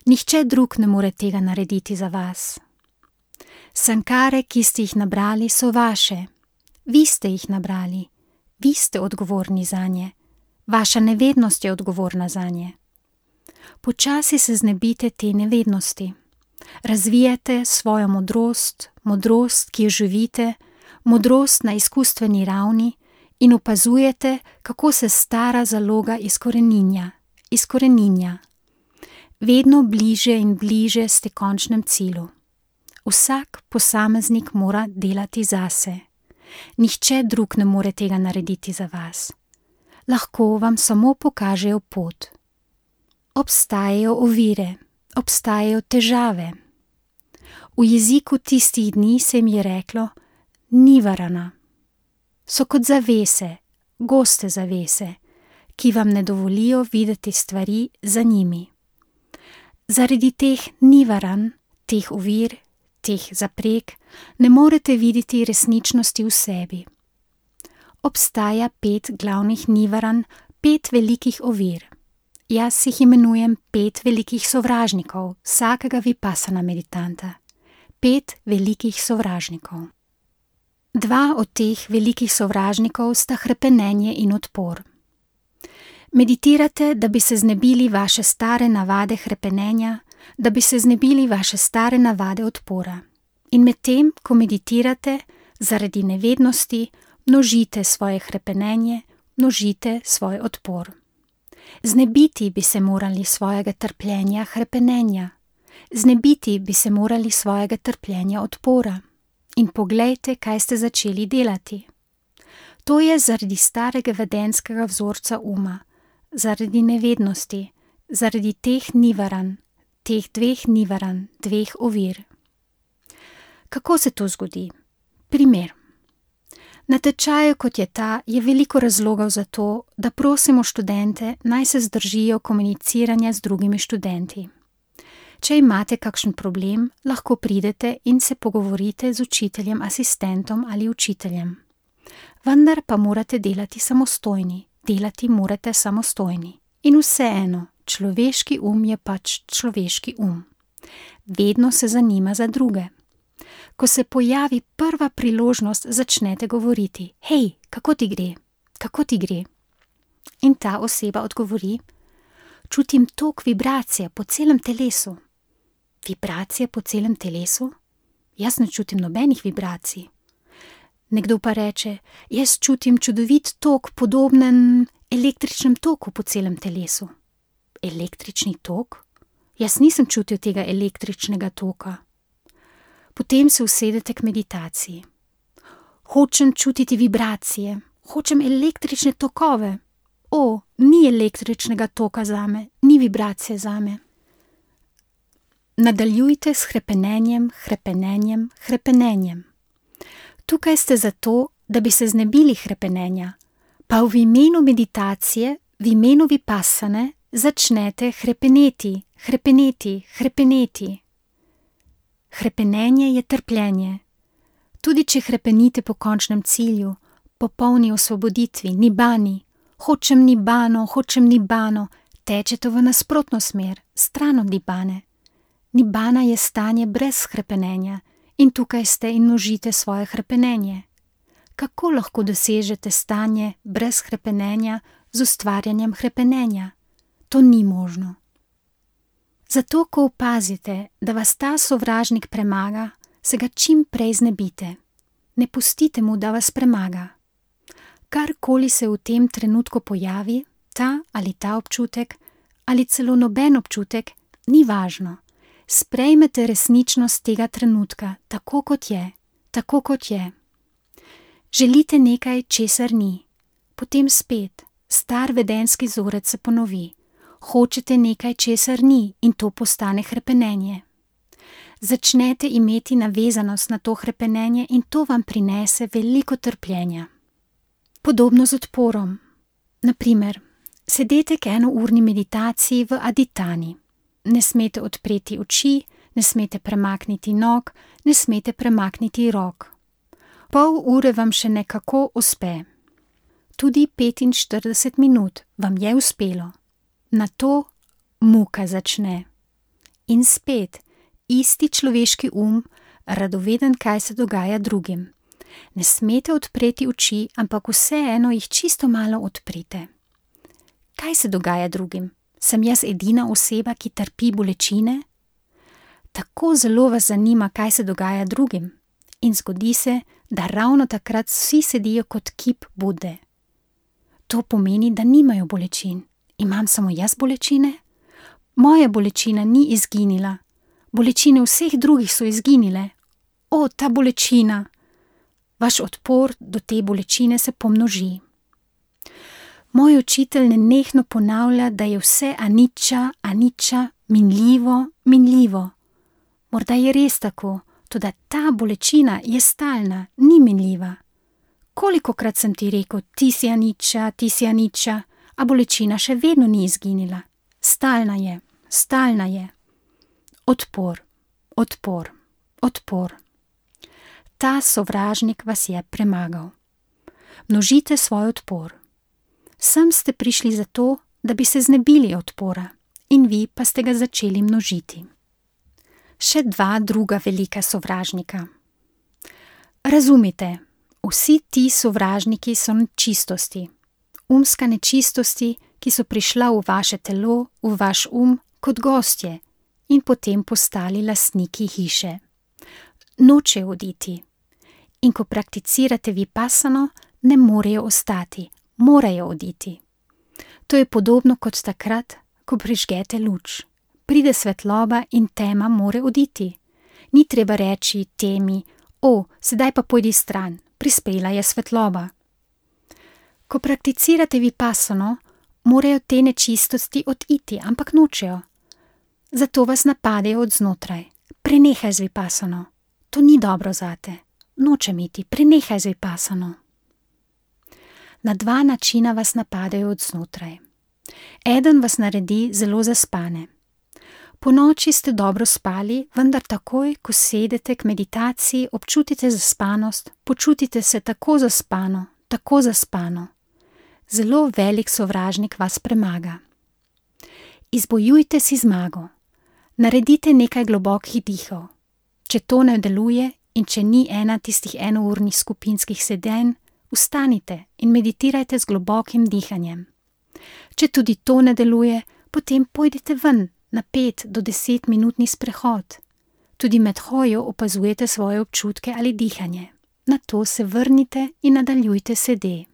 Nihče drug ne more tega narediti za vas. Sankare, ki ste jih nabrali, so vaše. Vi ste jih nabrali. Vi ste odgovorni zanje. Vaša nevednost je odgovorna zanje. Počasi se znebite te nevednosti. Razvijate svojo modrost, ki jo živite, modrost na izkustveni ravni in opazujete, kako se stara zaloga izkoreninja. Vedno bliže in bliže ste končnem cilju. Vsak posameznik mora delati zase. Nihče drug ne more tega narediti za vas. Lahko vam samo pokažejo pot. Obstajajo ovire, obstajajo težave. V jeziku tistih dni se jim je reklo nivarana. So kot zavese, goste zavese, ki vam ne dovolijo videti stvari za njimi. Zaradi teh nivaran, teh ovir, teh zapreg, ne morete videti resničnosti v sebi. Obstaja 5 glavnih nivaran, 5 velikih ovir. Jaz jih imenujem 5 velikih sovražnikov vsakega vipassana meditanta. 5 velikih sovražnikov. 2 od teh velikih sovražnikov sta hrepenenje in odpor. Meditirate, da bi se znebili vaše stare navade hrepenenja, da bi se znebili vaše stare navade odpora. In medtem, ko meditirate, zaradi nevednosti, množite svoje hrepenenje, množite svoj odpor. Znebiti bi se morali svojega trpljenja, hrepenenja. Znebiti bi se morali svojega trpljenja, odpora. In poglejte, kaj ste začeli delati. To je zaradi starega vedenskega vzorca uma, zaradi nevednosti, zaradi teh nivaranj, teh dveh nivaranj, dveh ovir. Kako se to zgodi? Primer. Na tečaju, kot je ta, je veliko razlogov za to, da prosimo študente, naj se zdržijo komuniciranja z drugimi študenti. Če imate kakšen problem, lahko pridete in se pogovorite z učiteljem, asistentom ali učiteljem. Vendar pa morate delati samostojni. In vseeno, človeški je pač človeški Vedno se zanima za druge. Ko se pojavi prva priložnost, začnete govoriti: Hej, kako ti gre? Kako ti gre? In ta oseba odgovori: Čutim tok vibracije po celem telesu. Vibracije po celem telesu? Jaz ne čutim nobenih vibracij. Nekdo pa reče: Jaz čutim čudovit tok, podoben električnem toku po celem telesu. Električni tok? Jaz nisem čutil tega električnega toka. Potem se usedete k meditaciji. Hočem čutiti vibracije, hočem električne tokove. Ni električnega toka zame, ni vibracije zame. Nadaljujte s hrepenenjem. Tukaj ste zato, da bi se znebili hrepenenja, pa v imenu meditacije, v imenu vipassane, začnete hrepeneti. Hrepenenje je trpljenje. Tudi če hrepenite po končnem cilju, popolni osvoboditvi, nibani, hočem nibano, tečete v nasprotno smer, stran od nibane. Nibana je stanje brez hrepenenja in tukaj ste in množite svoje hrepenenje. Kako lahko dosežete stanje brez hrepenenja z ustvarjanjem hrepenenja? To ni možno. Zato, ko opazite, da vas ta sovražnik premaga, se ga čim prej znebite. Ne pustite mu, da vas premaga. Karkoli se v tem trenutku pojavi, ta ali ta občutek, ali celo noben občutek, ni važno. Sprejmete resničnost tega trenutka, tako kot je. Želite nekaj, česar ni. Potem spet, star vedenski vzorec se ponovi. Hočete nekaj, česar ni, in to postane hrepenenje. Začnete imeti navezanost na to hrepenenje in to vam prinese veliko trpljenja. Podobno z odporom. Naprimer, sedete k enourni meditaciji v aditani. Ne smete odpreti oči, ne smete premakniti nog, ne smete premakniti rok. Pol ure vam še nekako uspe. Tudi 45 minut vam je uspelo. Nato muka začne. In spet, isti človeški radoveden, kaj se dogaja drugim. Ne smete odpreti oči, ampak vseeno jih čisto malo odprite. Kaj se dogaja drugim? Sem jaz edina oseba, ki trpi bolečine? Tako zelo vas zanima, kaj se dogaja drugim. In zgodi se, da ravno takrat vsi sedijo kot kip Bude. To pomeni, da nimajo bolečin. Imam samo jaz bolečine? Moja bolečina ni izginila. Bolečine vseh drugih so izginile. Ta bolečina! Vaš odpor do te bolečine se pomnoži. Moj učitelj nenehno ponavlja, da je vse anicca, minljivo. Morda je res tako, toda ta bolečina je stalna, ni minljiva. Kolikokrat sem ti rekel, ti si anicca, a bolečina še vedno ni izginila. Stalna je. Odpor. Ta sovražnik vas je premagal. Množite svoj odpor. Sem ste prišli zato, da bi se znebili odpora, in vi pa ste ga začeli množiti. Še dva druga velika sovražnika. Razumite, vsi ti sovražniki so nečistosti. Nečistosti, ki so prišla v vaše telo, v vaš kot gostje, in potem postali lastniki hiše. Nočejo oditi. In ko prakticirate vipassano, ne morejo ostati, morajo oditi. To je podobno kot takrat, ko prižgete luč. Pride svetloba in tema more oditi. Ni treba reči temi: sedaj pa pojdi stran, prispela je svetloba. Ko prakticirate vipassano, morajo te nečistosti oditi, ampak nočejo. Zato vas napadejo od znotraj. Prenehaj z vipassano. To ni dobro zate. Nočem iti, prenehaj z vipassano. Na 2 načina vas napadejo od znotraj. Eden vas naredi zelo zaspane. Ponoči ste dobro spali, vendar takoj, ko sedete k meditaciji, občutite zaspanost, počutite se tako zaspano. Zelo velik sovražnik vas premaga. Izbojujte si zmago. Naredite nekaj globokih dihov. Če to ne deluje in če ni ena tistih enournih skupinskih sedenj, vstanite in meditirajte z globokim dihanjem. Če tudi to ne deluje, potem pojdite ven na 5 do 10 minutni sprehod. Tudi med hojo opazujete svoje občutke ali dihanje. Nato se vrnite in nadaljujte sede.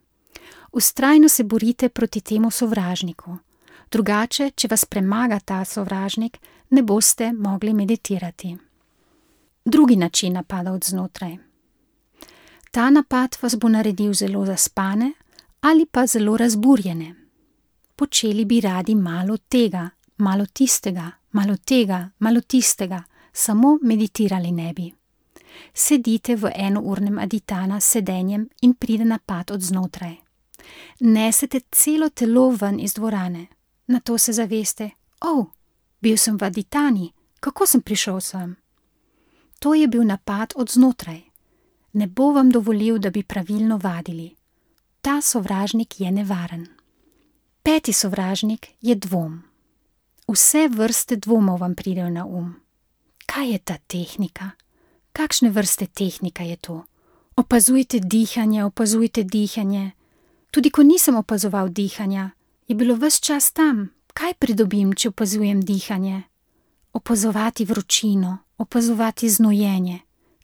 Vztrajno se borite proti temu sovražniku. Drugače, če vas premaga ta sovražnik, ne boste mogli meditirati. Drugi način napada od znotraj. Ta napad vas bo naredil zelo zaspane ali pa zelo razburjene. Počeli bi radi malo tega, malo tistega, malo tega, malo tistega, samo meditirali ne bi. Sedite v enournem aditana s sedenjem in pride napad od znotraj. Nesete celo telo ven iz dvorane. Nato se zaveste: bil sem v aditani, kako sem prišel sem? To je bil napad od znotraj. Ne bo vam dovolil, da bi pravilno vadili. Ta sovražnik je nevaren. 5. sovražnik je dvom. Vse vrste dvomov vam pridejo na Kaj je ta tehnika? Kakšne vrste tehnika je to? Opazujte dihanje. Tudi ko nisem opazoval dihanja, je bilo ves čas tam. Kaj pridobim, če opazujem dihanje? Opazovati vročino, opazovati znojenje.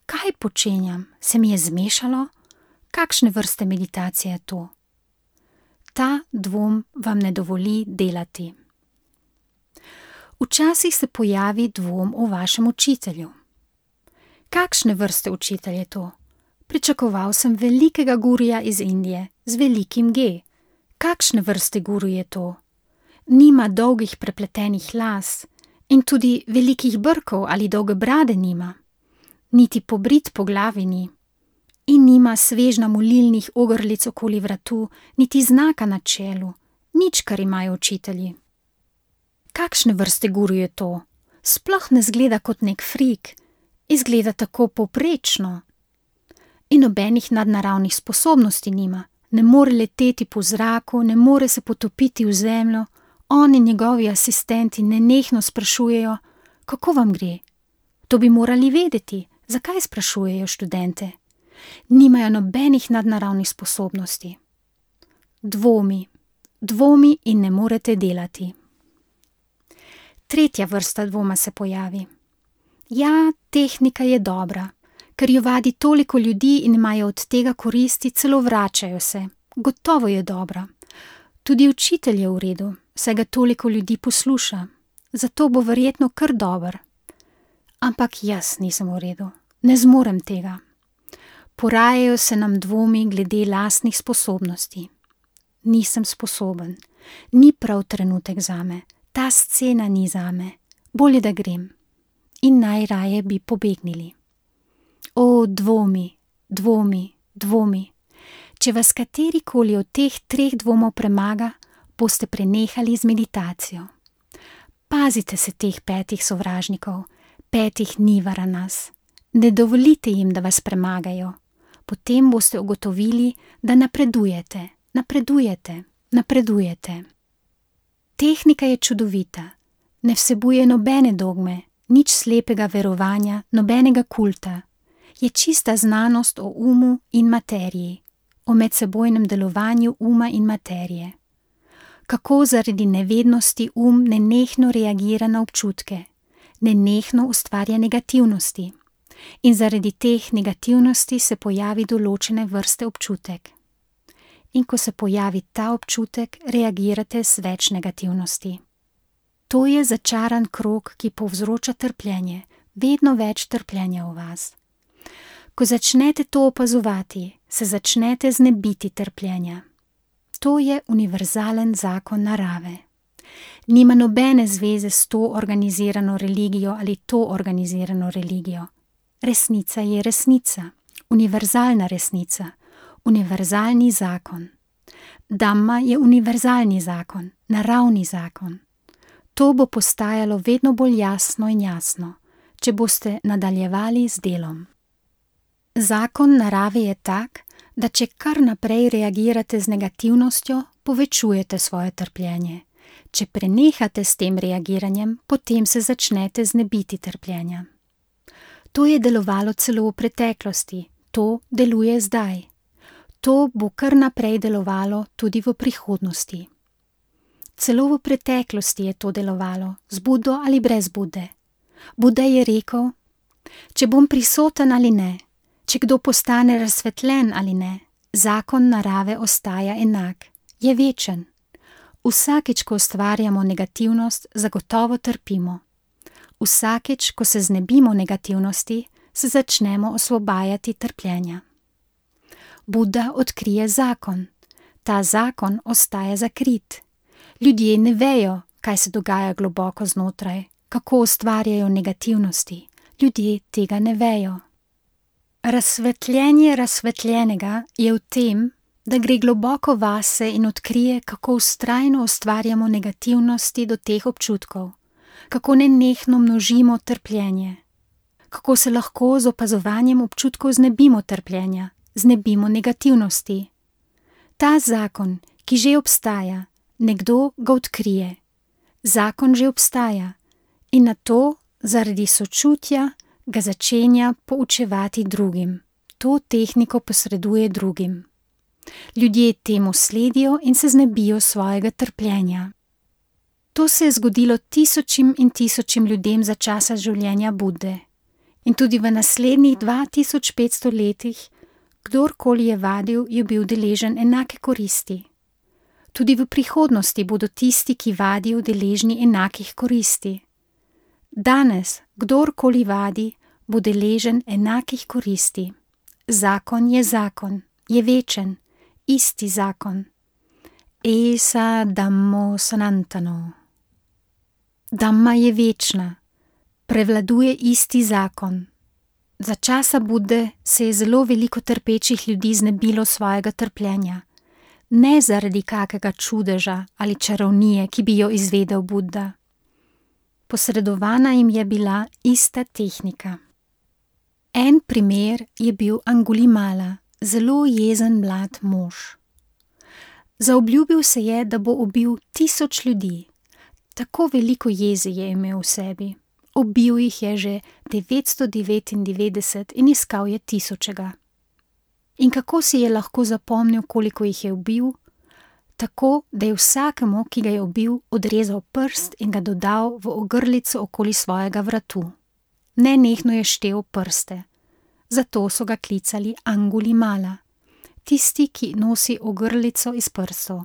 Kaj počenjam? Se mi je zmešalo? Kakšne vrste meditacije je to? Ta dvom vam ne dovoli delati. Včasih se pojavi dvom o vašem učitelju. Kakšne vrste učitelj je to? Pričakoval sem velikega guruja iz Indije z velikim G. Kakšne vrste guru je to? Nima dolgih prepletenih las in tudi velikih brkov ali dolge brade nima. Niti pobrit po glavi ni. In nima svežna molilnih ogrlic okoli vratu, niti znaka na čelu, nič, kar imajo učitelji. Kakšne vrste guru je to? Sploh ne zgleda kot nek frik, izgleda tako povprečno. In nobenih nadnaravnih sposobnosti nima, ne more leteti po zraku, ne more se potopiti v zemljo, on in njegovi asistenti nenehno sprašujejo: kako vam gre? To bi morali vedeti, zakaj sprašujejo študente? Nimajo nobenih nadnaravnih sposobnosti. Dvomi in ne morete delati. 3. vrsta dvoma se pojavi. Ja, tehnika je dobra, ker jo vadi toliko ljudi in imajo od tega koristi, celo vračajo se. Gotovo je dobra. Tudi učitelj je v redu, saj ga toliko ljudi posluša. Zato bo verjetno kar dober. Ampak jaz nisem v redu. Ne zmorem tega. Porajajo se nam dvomi glede lastnih sposobnosti. Nisem sposoben. Ni prav trenutek zame. Ta scena ni zame. Bolje, da grem. In najraje bi pobegnili. Dvomi. Če vas katerikoli od teh 3 dvomov premaga, boste prenehali z meditacijo. Pazite se teh 5 sovražnikov, 5 nivaranas. Ne dovolite jim, da vas premagajo. Potem boste ugotovili, da napredujete. Tehnika je čudovita. Ne vsebuje nobene dogme, nič slepega verovanja, nobenega kulta. Je čista znanost o umu in materiji, o medsebojnem delovanju uma in materije. Kako zaradi nevednosti nenehno reagira na občutke, nenehno ustvarja negativnosti in zaradi teh negativnosti se pojavi določene vrste občutek. In ko se pojavi ta občutek, reagirate z več negativnosti. To je začaran krog, ki povzroča trpljenje, vedno več trpljenja v vas. Ko začnete to opazovati, se začnete znebiti trpljenja. To je univerzalen zakon narave. Nima nobene zveze s to organizirano religijo ali to organizirano religijo. Resnica je resnica, univerzalna resnica, univerzalni zakon. Dhamma je univerzalni zakon, naravni zakon. To bo postajalo vedno bolj jasno in jasno, če boste nadaljevali z delom. Zakon narave je tak, da če kar naprej reagirate z negativnostjo, povečujete svoje trpljenje. Če prenehate s tem reagiranjem, potem se začnete znebiti trpljenja. To je delovalo celo v preteklosti, to deluje zdaj. To bo kar naprej delovalo tudi v prihodnosti. Celo v preteklosti je to delovalo, z Budo ali brez Bude. Buda je rekel, če bom prisoten ali ne, če kdo postane razsvetljen ali ne, zakon narave ostaja enak, je večen. Vsakič, ko ustvarjamo negativnost, zagotovo trpimo. Vsakič, ko se znebimo negativnosti, se začnemo osvobajati trpljenja. Buda odkrije zakon. Ta zakon ostaja zakrit. Ljudje ne vejo, kaj se dogaja globoko znotraj, kako ustvarjajo negativnosti. Ljudje tega ne vejo. Razsvetljenje razsvetljenega je v tem, da gre globoko vase in odkrije, kako vztrajno ustvarjamo negativnosti do teh občutkov, kako nenehno množimo trpljenje, kako se lahko z opazovanjem občutkov znebimo trpljenja, znebimo negativnosti. Ta zakon, ki že obstaja, nekdo ga odkrije. Zakon že obstaja in nato, zaradi sočutja, ga začenja poučevati drugim. To tehniko posreduje drugim. Ljudje temu sledijo in se znebijo svojega trpljenja. To se je zgodilo tisočim in tisočim ljudem za časa življenja Bude. In tudi v naslednjih 2500 letih, kdorkoli je vadil, je bil deležen enake koristi. Tudi v prihodnosti bodo tisti, ki vadijo, deležni enakih koristi. Danes, kdorkoli vadi, bo deležen enakih koristi. Zakon, je večen, isti zakon. Esa Dhammo Sanantano. Dhamma je večna, prevladuje isti zakon. Za časa Bude se je zelo veliko trpečih ljudi znebilo svojega trpljenja. Ne zaradi kakega čudeža ali čarovnije, ki bi jo izvedel Buda. Posredovana jim je bila ista tehnika. En primer je bil Angulimala, zelo jezen mlad mož. Zaobljubil se je, da bo ubil 1000 ljudi. Tako veliko jeze je imel v sebi. Ubil jih je že 999 in iskal je 1000. In kako si je lahko zapomnil, koliko jih je ubil? Tako, da je vsakemu, ki ga je ubil, odrezal prst in ga dodal v ogrlico okoli svojega vratu. Nenehno je štel prste. Zato so ga klicali Angulimala, tisti, ki nosi ogrlico iz prstov.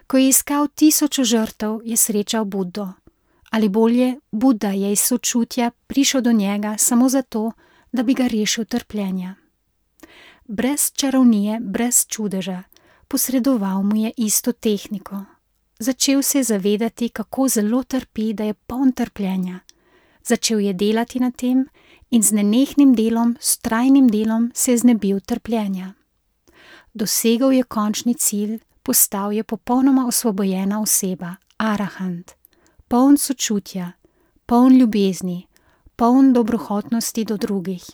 Ko je iskal 1000 žrtev, je srečal Budo. Ali bolje, Buda je iz sočutja prišel do njega samo zato, da bi ga rešil trpljenja. Brez čarovnije, brez čudeža, posredoval mu je isto tehniko. Začel se je zavedati, kako zelo trpi, da je poln trpljenja. Začel je delati na tem in z nenehnim delom, s trajnim delom se je znebil trpljenja. Dosegel je končni cilj, postal je popolnoma osvobojena oseba, arahant, poln sočutja, poln ljubezni, poln dobrohotnosti do drugih.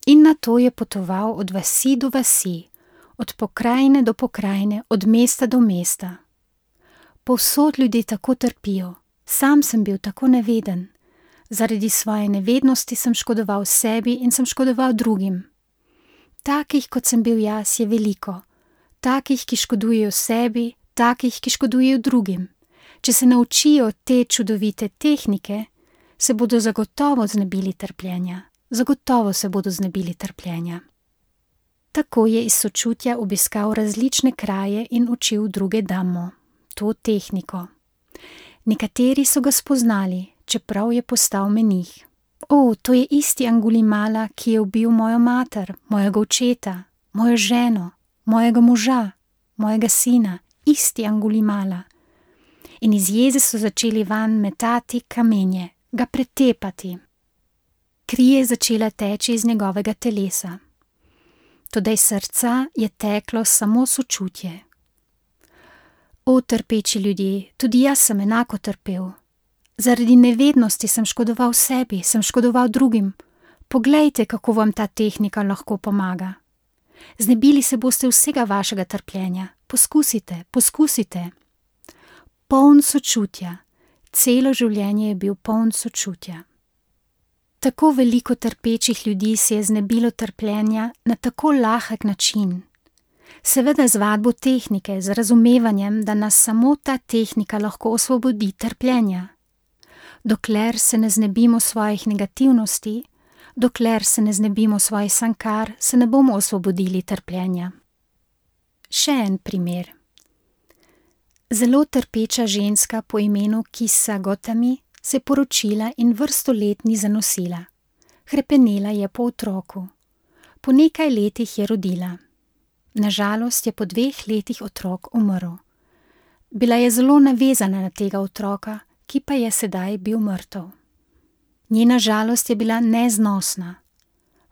In nato je potoval od vasi do vasi, od pokrajine do pokrajine, od mesta do mesta. Povsod ljudje tako trpijo, sam sem bil tako neveden. Zaradi svoje nevednosti sem škodoval sebi in sem škodoval drugim. Takih, kot sem bil jaz, je veliko. Takih, ki škodujejo sebi, takih, ki škodujejo drugim. Če se naučijo te čudovite tehnike, se bodo zagotovo znebili trpljenja. Zagotovo se bodo znebili trpljenja. Tako je iz sočutja obiskal različne kraje in učil druge Dhammo, to tehniko. Nekateri so ga spoznali, čeprav je postal menih. To je isti Angulimala, ki je ubil mojo mater, mojega očeta, mojo ženo, mojega moža, mojega sina, isti Angulimala. In iz jeze so začeli vanj metati kamenje, ga pretepati. Kri je začela teči iz njegovega telesa. Toda iz srca je teklo samo sočutje. Trpeči ljudje, tudi jaz sem enako trpel. Zaradi nevednosti sem škodoval sebi, sem škodoval drugim. Poglejte, kako vam ta tehnika lahko pomaga. Znebili se boste vsega vašega trpljenja. Poskusite, poskusite. Poln sočutja. Celo življenje je bil poln sočutja. Tako veliko trpečih ljudi se je znebilo trpljenja na tako lahek način. Seveda z vadbo tehnike, z razumevanjem, da nas samo ta tehnika lahko osvobodi trpljenja. Dokler se ne znebimo svojih negativnosti, dokler se ne znebimo svojih sankar, se ne bomo osvobodili trpljenja. Še en primer. Zelo trpeča ženska po imenu Kisa Gotami se je poročila in vrsto let ni zanosila. Hrepenela je po otroku. Po nekaj letih je rodila. Nažalost je po 2 letih otrok umrl. Bila je zelo navezana na tega otroka, ki pa je sedaj bil mrtev. Njena žalost je bila neznosna.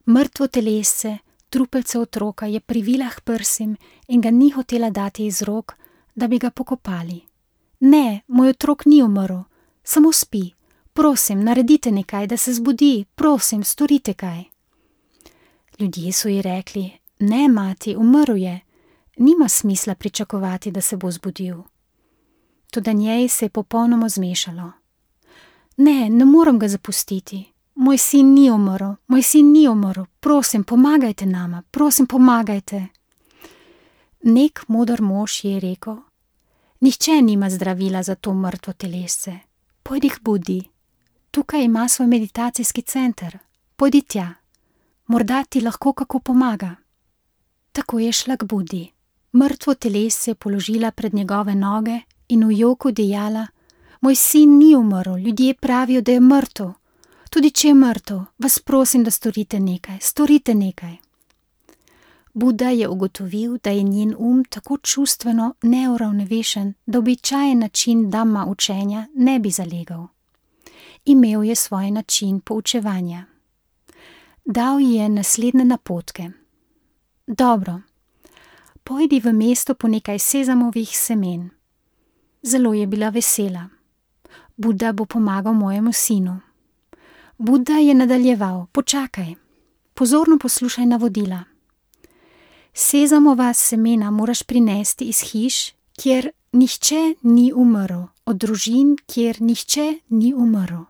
Mrtvo telesce, trupelce otroka je privila k prsim in ga ni hotela dati iz rok, da bi ga pokopali. Ne, moj otrok ni umrl, samo spi. Prosim, naredite nekaj, da se zbudi, prosim, storite kaj. Ljudje so ji rekli: ne, mati, umrl je. Nima smisla pričakovati, da se bo zbudil. Toda njej se je popolnoma zmešalo. Ne morem ga zapustiti. Moj sin ni umrl, moj sin ni umrl. Prosim, pomagajte nama, prosim, pomagajte. Nek moder mož je rekel: nihče nima zdravila za to mrtvo telesce. Pojdi k Budi. Tukaj ima svoj meditacijski center. Pojdi tja. Morda ti lahko kako pomaga. Tako je šla k Budi. Mrtvo telesce je položila pred njegove noge in v joku dejala: moj sin ni umrl, ljudje pravijo, da je mrtev. Tudi če je mrtev, vas prosim, da storite nekaj, storite nekaj. Buda je ugotovil, da je njen tako čustveno neuravnovešen, da običajen način Dhamma učenja ne bi zalegel. Imel je svoj način poučevanja. Dal ji je naslednje napotke. Dobro, pojdi v mesto po nekaj sezamovih semen. Zelo je bila vesela. Buda bo pomagal mojemu sinu. Buda je nadaljeval: počakaj, pozorno poslušaj navodila. Sezamova semena moraš prinesti iz hiš, kjer nihče ni umrl, od družin, kjer nihče ni umrl.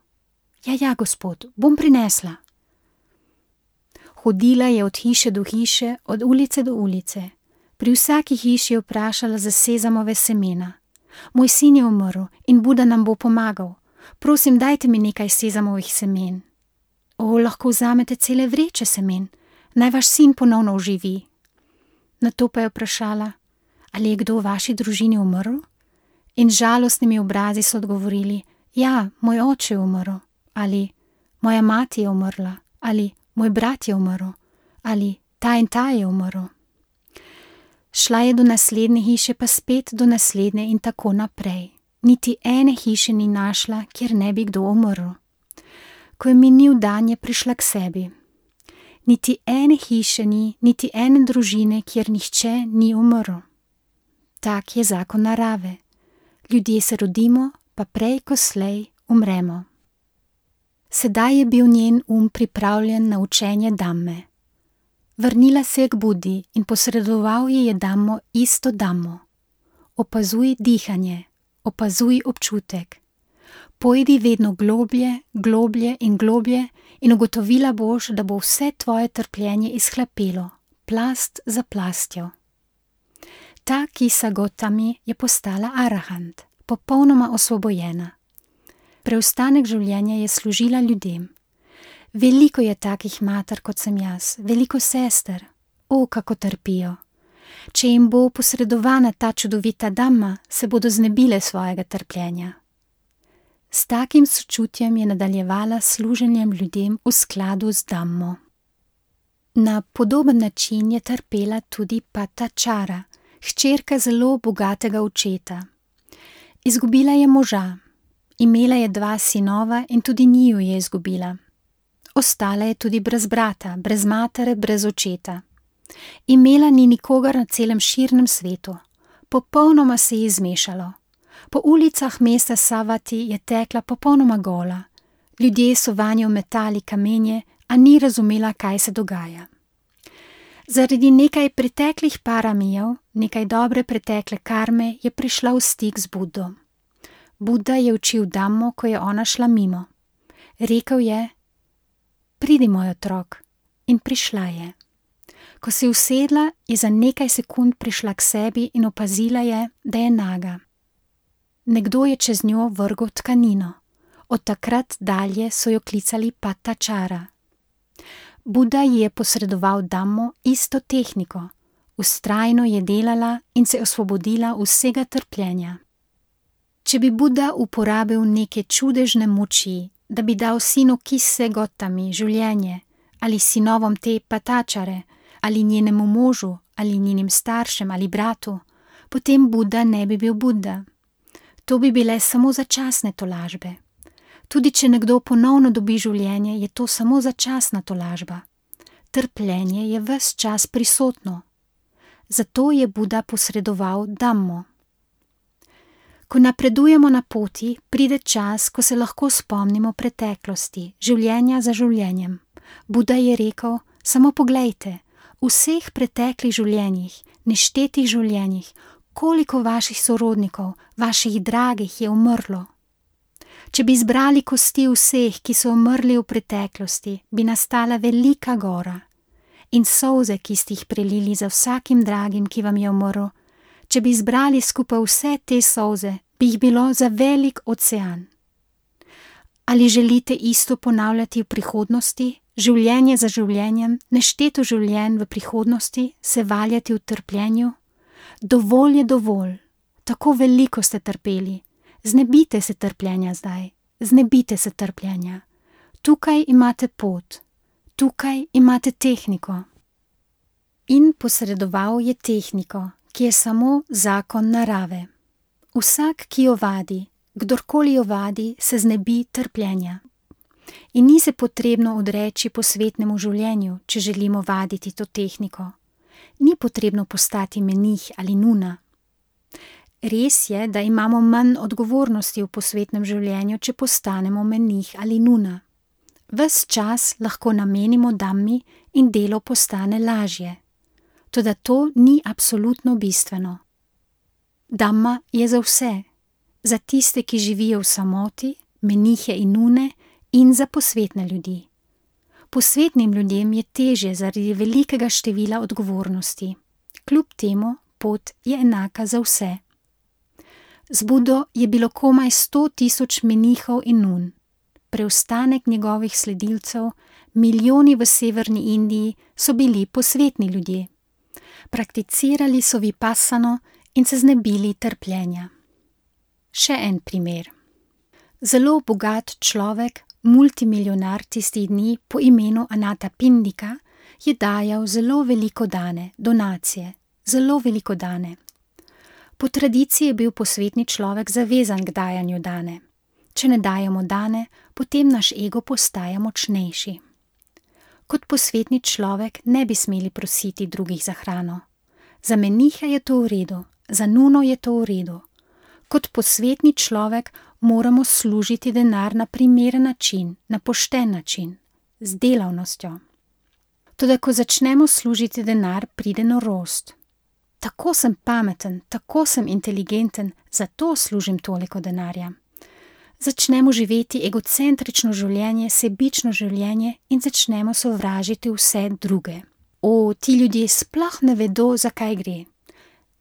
Ja, gospod, bom prinesla. Hodila je od hiše do hiše, od ulice do ulice. Pri vsaki hiši je vprašala za sezamove semena. Moj sin je umrl in Buda nam bo pomagal. Prosim, dajte mi nekaj sezamovih semen. Lahko vzamete cele vreče semen. Naj vaš sin ponovno oživi. Nato pa je vprašala: ali je kdo v vaši družini umrl? In žalostnimi obrazi so odgovorili: ja, moj oče je umrl. Ali moja mati je umrla. Ali moj brat je umrl. Ali ta in ta je umrl. Šla je do naslednje hiše, pa spet do naslednje in tako naprej. Niti ene hiše ni našla, kjer ne bi kdo umrl. Ko je minil dan, je prišla k sebi. Niti ene hiše ni, niti ene družine, kjer nihče ni umrl. Tak je zakon narave. Ljudje se rodimo, pa prej ko slej umremo. Sedaj je bil njen pripravljen na učenje Dhamme. Vrnila se je k Budi in posredoval ji je Dhammo, isto Dhammo. Opazuj dihanje, opazuj občutek. Pojdi vedno globlje, globlje in globlje in ugotovila boš, da bo vse tvoje trpljenje izhlapelo, plast za plastjo. Ta Kisa Gotami je postala arahant, popolnoma osvobojena. Preostanek življenja je služila ljudem. Veliko je takih mater, kot sem jaz, veliko sester. O, kako trpijo. Če jim bo posredovana ta čudovita Dhamma, se bodo znebile svojega trpljenja. S takim sočutjem je nadaljevala služenjem ljudem v skladu z Dhammo. Na podoben način je trpela tudi Patačara, hčerka zelo bogatega očeta. Izgubila je moža, imela je 2 sinova in tudi njiju je izgubila. Ostala je tudi brez brata, brez matere, brez očeta. Imela ni nikogar na celem širnem svetu. Popolnoma se je izmešalo. Po ulicah mesta Savati je tekla popolnoma gola. Ljudje so vanjo metali kamenje, a ni razumela, kaj se dogaja. Zaradi nekaj preteklih paramijev, nekaj dobre pretekle karme, je prišla v stik z Buddo. Buddha je učil Dhammo, ko je ona šla mimo. Rekel je: "Pridi, moj otrok." In prišla je. Ko se je usedla, je za nekaj sekund prišla k sebi in opazila je, da je naga. Nekdo je čez njo vrgel tkanino. Od takrat dalje so jo klicali Patačara. Buddha ji je posredoval Dhammo, isto tehniko. Vztrajno je delala in se osvobodila vsega trpljenja. Če bi Buddha uporabil neke čudežne moči, da bi dal sinu Kisse Gotami življenje, ali sinovom te Patačare, ali njenemu možu, ali njenim staršem, ali bratu, potem Buddha ne bi bil Buddha. To bi bile samo začasne tolažbe. Tudi če nekdo ponovno dobi življenje, je to samo začasna tolažba. Trpljenje je ves čas prisotno. Zato je Buddha posredoval Dhammo. Ko napredujemo na poti, pride čas, ko se lahko spomnimo preteklosti, življenja za življenjem. Buddha je rekel: "Samo poglejte, v vseh preteklih življenjih, neštetih življenjih, koliko vaših sorodnikov, vaših dragih je umrlo. Če bi zbrali kosti vseh, ki so umrli v preteklosti, bi nastala velika gora. In solze, ki ste jih prelili za vsakim dragim, ki vam je umrl, če bi zbrali skupaj vse te solze, bi jih bilo za velik ocean. Ali želite isto ponavljati v prihodnosti, življenje za življenjem, nešteto življenj v prihodnosti, se valjati v trpljenju? Dovolj je dovolj, tako veliko ste trpeli. Znebite se trpljenja zdaj, znebite se trpljenja. Tukaj imate pot, tukaj imate tehniko." In posredoval je tehniko, ki je samo zakon narave. Vsak, ki jo vadi, kdorkoli jo vadi, se znebi trpljenja. In ni se potrebno odreči posvetnemu življenju, če želimo vaditi to tehniko. Ni potrebno postati menih ali nuna. Res je, da imamo manj odgovornosti v posvetnem življenju, če postanemo menih ali nuna. Ves čas lahko namenimo Dhammi in delo postane lažje. Toda to ni absolutno bistveno. Dhamma je za vse, za tiste, ki živijo v samoti, menihe in nune, in za posvetne ljudi. Posvetnim ljudem je težje zaradi velikega števila odgovornosti. Kljub temu pot je enaka za vse. Z Buddo je bilo komaj 100 000 menihov in nun. Preostanek njegovih sledilcev, milijoni v severni Indiji, so bili posvetni ljudje. Prakticirali so vipassano in se znebili trpljenja. Še en primer. Zelo bogat človek, multimilijonar tistih dni po imenu Anathapindika, je dajal zelo veliko dane, donacije, zelo veliko dane. Po tradiciji je bil posvetni človek zavezan k dajanju dane. Če ne dajemo dane, potem naš ego postaja močnejši. Kot posvetni človek ne bi smeli prositi drugih za hrano. Za meniha je to v redu, za nuno je to v redu. Kot posvetni človek moramo služiti denar na primeren način, na pošten način, z delavnostjo. Toda ko začnemo služiti denar, pride norost. Tako sem pameten, tako sem inteligenten, zato služim toliko denarja. Začnemo živeti egocentrično življenje, sebično življenje in začnemo sovražiti vse druge. O, ti ljudje sploh ne vedo, zakaj gre.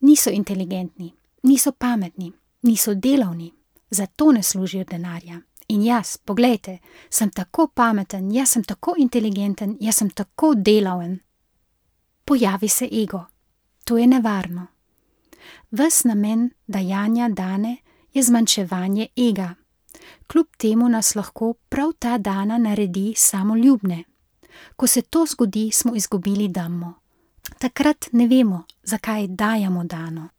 Niso inteligentni, niso pametni, niso delavni, zato ne služijo denarja. In jaz, poglejte, sem tako pameten, jaz sem tako inteligenten, jaz sem tako delaven. Pojavi se ego. To je nevarno. Ves namen dajanja dane je zmanjševanje ega. Kljub temu nas lahko prav ta dana naredi samoljubne. Ko se to zgodi, smo izgubili Dhammo. Takrat ne vemo, zakaj dajamo dano.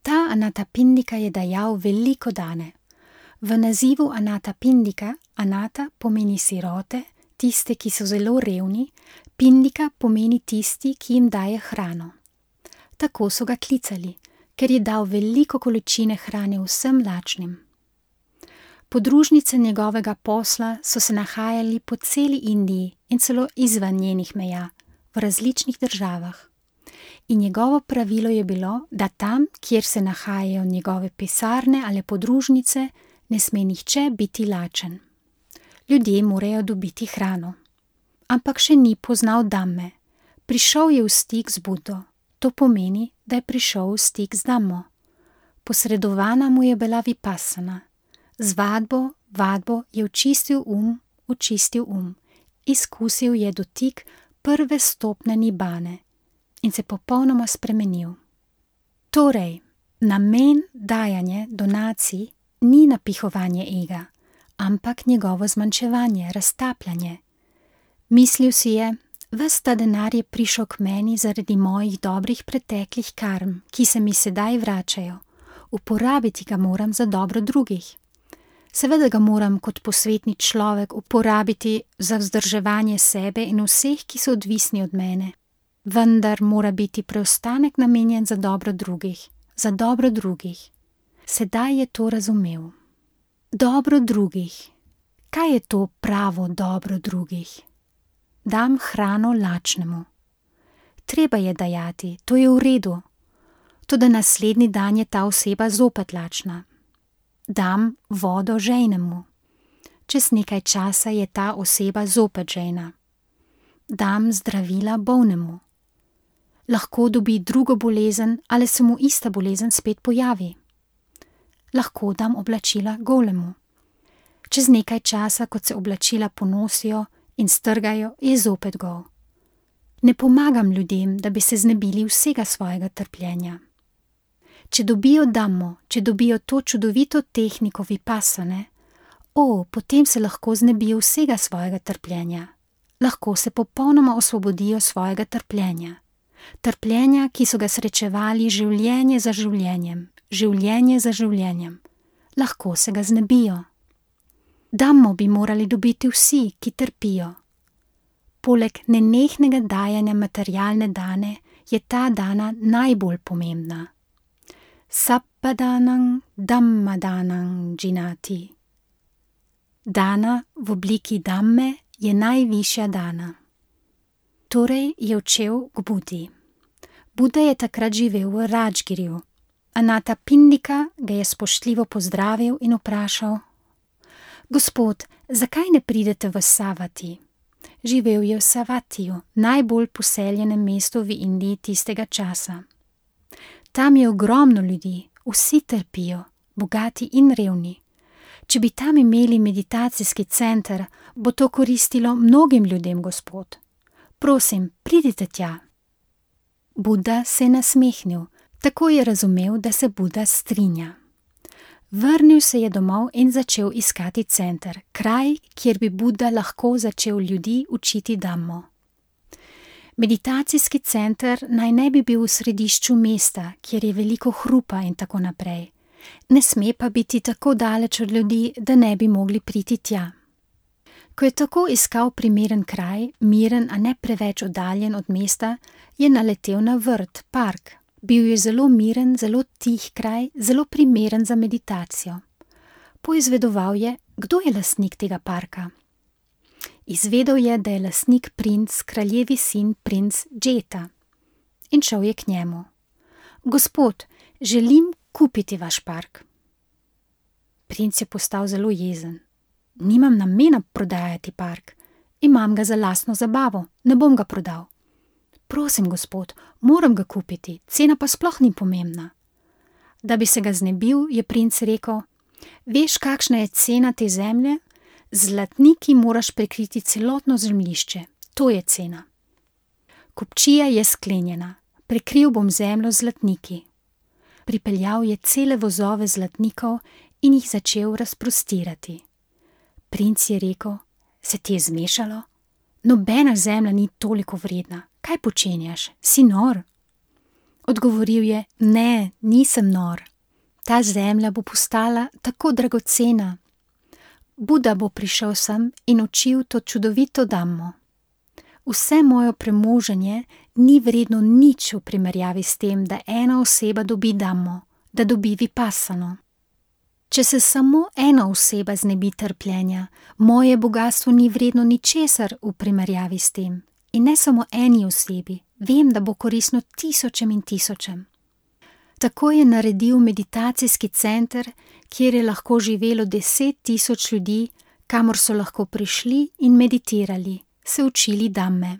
Ta Anatapindika je dajal veliko dane. V nazivu Anatapindika, Anata pomeni sirote, tiste, ki so zelo revni, Pindika pomeni tisti, ki jim daje hrano. Tako so ga klicali, ker je dal veliko količine hrane vsem lačnim. Podružnice njegovega posla so se nahajali po celi Indiji in celo izven njenih meja, v različnih državah. In njegovo pravilo je bilo, da tam, kjer se nahajajo njegove pisarne ali podružnice, ne sme nihče biti lačen. Ljudje morajo dobiti hrano. Ampak še ni poznal Dhamme. Prišel je v stik z Buddo. To pomeni, da je prišel v stik z Dhammo. Posredovana mu je bila vipassana. Z vadbo je očistil um, izkusil je dotik prve stopnje nibane in se popolnoma spremenil. Torej, namen dajanja donacij ni napihovanje ega, ampak njegovo zmanjševanje, raztapljanje. Mislil si je, ves ta denar je prišel k meni zaradi mojih dobrih preteklih karm, ki se mi sedaj vračajo. Uporabiti ga moram za dobro drugih. Seveda ga moram kot posvetni človek uporabiti za vzdrževanje sebe in vseh, ki so odvisni od mene. Vendar mora biti preostanek namenjen za dobro drugih, za dobro drugih. Sedaj je to razumel. Dobro drugih. Kaj je to pravo dobro drugih? Dam hrano lačnemu. Treba je dajati, to je v redu. Toda naslednji dan je ta oseba zopet lačna. Dam vodo žejnemu. Čez nekaj časa je ta oseba zopet žejna. Dam zdravila bolnemu. Lahko dobi drugo bolezen ali se mu ista bolezen spet pojavi. Lahko dam oblačila golemu. Čez nekaj časa, kot se oblačila ponosijo in strgajo, je zopet gol. Ne pomagam ljudem, da bi se znebili vsega svojega trpljenja. Če dobijo Dhammo, če dobijo to čudovito tehniko vipassane, potem se lahko znebijo vsega svojega trpljenja. Lahko se popolnoma osvobodijo svojega trpljenja. Trpljenja, ki so ga srečevali življenje za življenjem, življenje za življenjem. Lahko se ga znebijo. Dhammo bi morali dobiti vsi, ki trpijo. Poleg nenehnega dajanja materialne dane je ta dana najbolj pomembna. Sabbadanang Dhammadanang džinati. Dana v obliki Dhamme je najvišja dana. Torej je odšel k Budi. Buda je takrat živel v Radžgirju. Anatapindika ga je spoštljivo pozdravil in vprašal: Gospod, zakaj ne pridete v Savati? Živel je v Savatiju, najbolj poseljenem mestu v Indiji tistega časa. Tam je ogromno ljudi, vsi trpijo, bogati in revni. Če bi tam imeli meditacijski center, bo to koristilo mnogim ljudem, gospod. Prosim, pridite tja. Buda se je nasmehnil, tako je razumel, da se Buda strinja. Vrnil se je domov in začel iskati center, kraj, kjer bi Buda lahko začel ljudi učiti Dhammo. Meditacijski center naj ne bi bil v središču mesta, kjer je veliko hrupa in tako naprej. Ne sme pa biti tako daleč od ljudi, da ne bi mogli priti tja. Ko je tako iskal primeren kraj, miren, a ne preveč oddaljen od mesta, je naletel na vrt, park. Bil je zelo miren, zelo tih kraj, zelo primeren za meditacijo. Poizvedoval je, kdo je lastnik tega parka. Izvedel je, da je lastnik princ, kraljevi sin, princ Džeta. In šel je k njemu. Gospod, želim kupiti vaš park. Princ je postal zelo jezen. Nimam namena prodajati park. Imam ga za lastno zabavo, ne bom ga prodal. Prosim, gospod, moram ga kupiti, cena pa sploh ni pomembna. Da bi se ga znebil, je princ rekel: Veš, kakšna je cena te zemlje? Z zlatniki moraš prekriti celotno zemljišče. To je cena. Kupčija je sklenjena. Prekril bom zemljo z zlatniki. Pripeljal je cele vozove zlatnikov in jih začel razprostirati. Princ je rekel: Se ti je zmešalo? Nobena zemlja ni toliko vredna. Kaj počenjaš? Si nor? Odgovoril je: Ne, nisem nor. Ta zemlja bo postala tako dragocena. Buda bo prišel sem in učil to čudovito dammo. Vse moje premoženje ni vredno nič v primerjavi s tem, da ena oseba dobi dammo, da dobi vipassano. Če se samo ena oseba znebi trpljenja, moje bogastvo ni vredno ničesar v primerjavi s tem. In ne samo eni osebi, vem, da bo koristno tisočem in tisočem. Tako je naredil meditacijski center, kjer je lahko živelo 10.000 ljudi, kamor so lahko prišli in meditirali, se učili damme.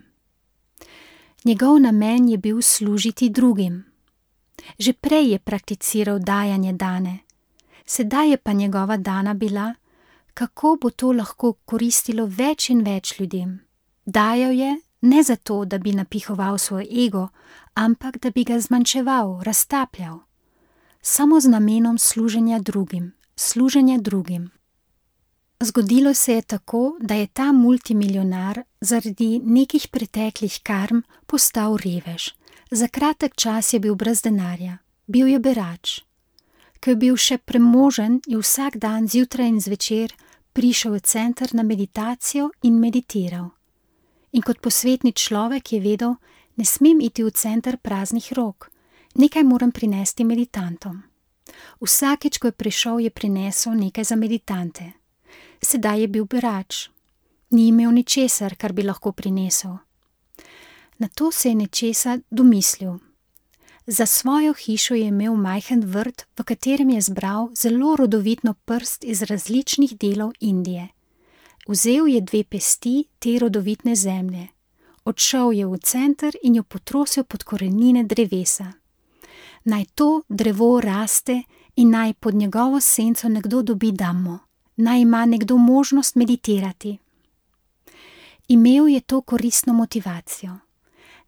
Njegov namen je bil služiti drugim. Že prej je prakticiral dajanje dane. Sedaj je pa njegova dana bila, kako bo to lahko koristilo več in več ljudem. Dajal je ne zato, da bi napihoval svoj ego, ampak da bi ga zmanjševal, raztapljal. Samo z namenom služenja drugim. Zgodilo se je tako, da je ta multimilionar zaradi nekih preteklih karm postal revež. Za kratek čas je bil brez denarja, bil je berač. Ko je bil še premožen, je vsak dan zjutraj in zvečer prišel v center na meditacijo in meditiral. In kot posvetni človek je vedel, ne smem iti v center praznih rok, nekaj moram prinesti meditantom. Vsakič, ko je prišel, je prinesel nekaj za meditante. Sedaj je bil berač. Ni imel ničesar, kar bi lahko prinesel. Nato se je nečesa domislil. Za svojo hišo je imel majhen vrt, v katerem je zbral zelo rodovitno prst iz različnih delov Indije. Vzel je 2 pesti te rodovitne zemlje. Odšel je v center in jo potrosil pod korenine drevesa. Naj to drevo raste in naj pod njegovo senco nekdo dobi dammo. Naj ima nekdo možnost meditirati. Imel je to koristno motivacijo.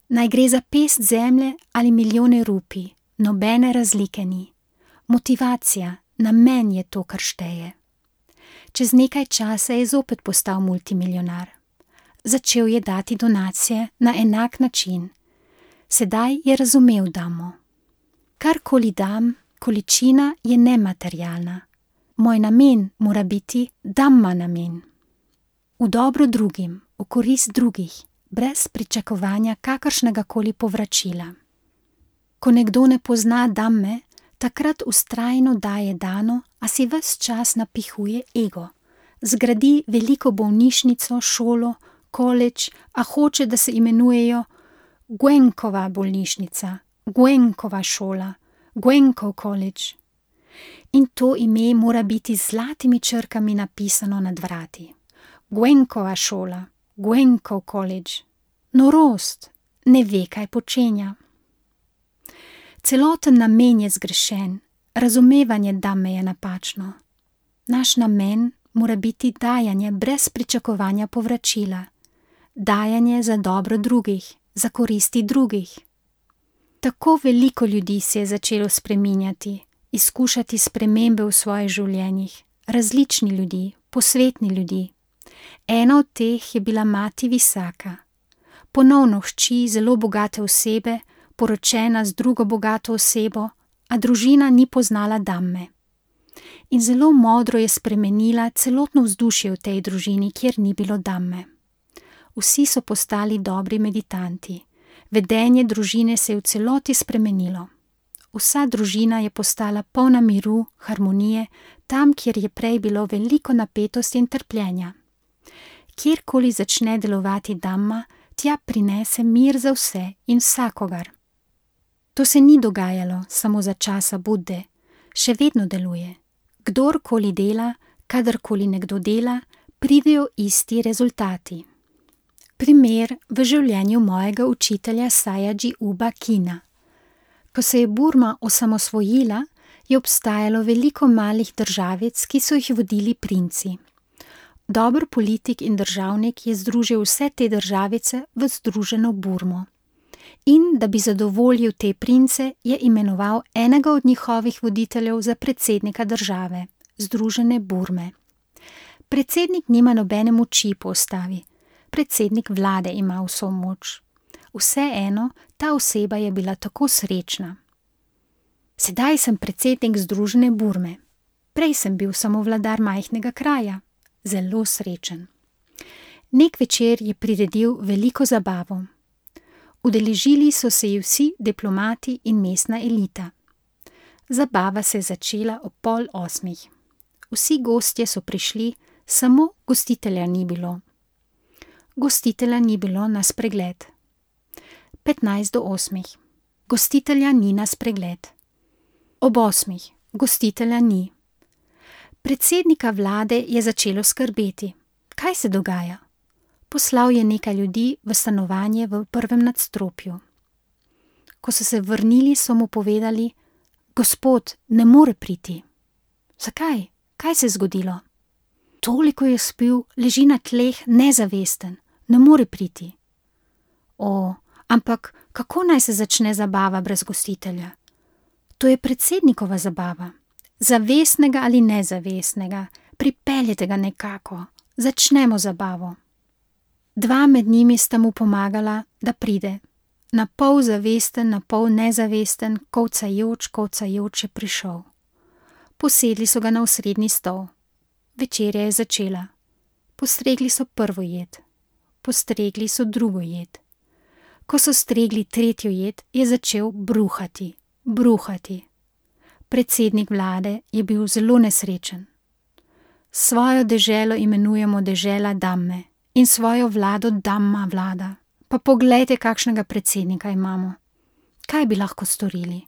Naj gre za pest zemlje ali milijone rupij, nobene razlike ni. Motivacija, namen je to, kar šteje. Čez nekaj časa je zopet postal multimilionar. Začel je dati donacije na enak način. Sedaj je razumel dammo. Karkoli dam, količina je nematerialna. Moj namen mora biti damma namen. V dobro drugim, v korist drugih, brez pričakovanja kakršnegakoli povračila. Ko nekdo ne pozna damme, takrat vztrajno daje dano, a si ves čas napihuje ego. Zgradi veliko bolnišnico, šolo, koledž, a hoče, da se imenujejo Goenkova bolnišnica, Goenkova šola, Goenkov koledž. In to ime mora biti z zlatimi črkami napisano nad vrati. Goenkova šola, Goenkov koledž. Norost, ne ve, kaj počenja. Celoten namen je zgrešen, razumevanje damme je napačno. Naš namen mora biti dajanje brez pričakovanja povračila. Dajanje za dobro drugih, za koristi drugih. Tako veliko ljudi se je začelo spreminjati, izkušati spremembe v svojih življenjih, različni ljudi, posvetni ljudi. Ena od teh je bila mati Visaka. Ponovno hči zelo bogate osebe, poročena z drugo bogato osebo, a družina ni poznala damme. In zelo modro je spremenila celotno vzdušje v tej družini, kjer ni bilo damme. Vsi so postali dobri meditanti. Vedenje družine se je v celoti spremenilo. Vsa družina je postala polna miru, harmonije, tam, kjer je prej bilo veliko napetosti in trpljenja. Kjerkoli začne delovati damma, tja prinese mir za vse in vsakogar. To se ni dogajalo samo za časa Budde, še vedno deluje. Kdorkoli dela, kadarkoli nekdo dela, pridejo isti rezultati. Primer v življenju mojega učitelja Sajaji Uba Kina. Ko se je Burma osamosvojila, je obstajalo veliko malih državic, ki so jih vodili princi. Dober politik in državnik je združil vse te državice v združeno Burmo. In da bi zadovoljil te prince, je imenoval enega od njihovih voditeljev za predsednika države, združene Burme. Predsednik nima nobene moči po ustavi, predsednik vlade ima vso moč. Vseeno, ta oseba je bila tako srečna. Sedaj sem predsednik združene Burme. Prej sem bil samo vladar majhnega kraja. Zelo srečen. Nek večer je priredil veliko zabavo. Udeležili so se ji vsi diplomati in mestna elita. Zabava se je začela ob 7:30. Vsi gostje so prišli, samo gostitelja ni bilo. Gostitelja ni bilo na spregled. 7:45. Gostitelja ni na spregled. Ob 8. Gostitelja ni. Predsednika vlade je začelo skrbeti. Kaj se dogaja? Poslal je nekaj ljudi v stanovanje v prvem nadstropju. Ko so se vrnili, so mu povedali: Gospod, ne more priti. Zakaj? Kaj se je zgodilo? Toliko je spil, leži na tleh, nezavesten, ne more priti. Ampak kako naj se začne zabava brez gostitelja? To je predsednikova zabava. Zavestnega ali nezavestnega, pripeljete ga nekako, začnemo zabavo. 2 med njimi sta mu pomagala, da pride. Na pol zavesten, na pol nezavesten, kovcajoč je prišel. Posedli so ga na osrednji stol. Večerja je začela. Postregli so prvo jed. Postregli so drugo jed. Ko so stregli tretjo jed, je začel bruhati. Predsednik vlade je bil zelo nesrečen. Svojo deželo imenujemo dežela Damme in svojo vlado Damma vlada. Pa poglejte, kakšnega predsednika imamo. Kaj bi lahko storili?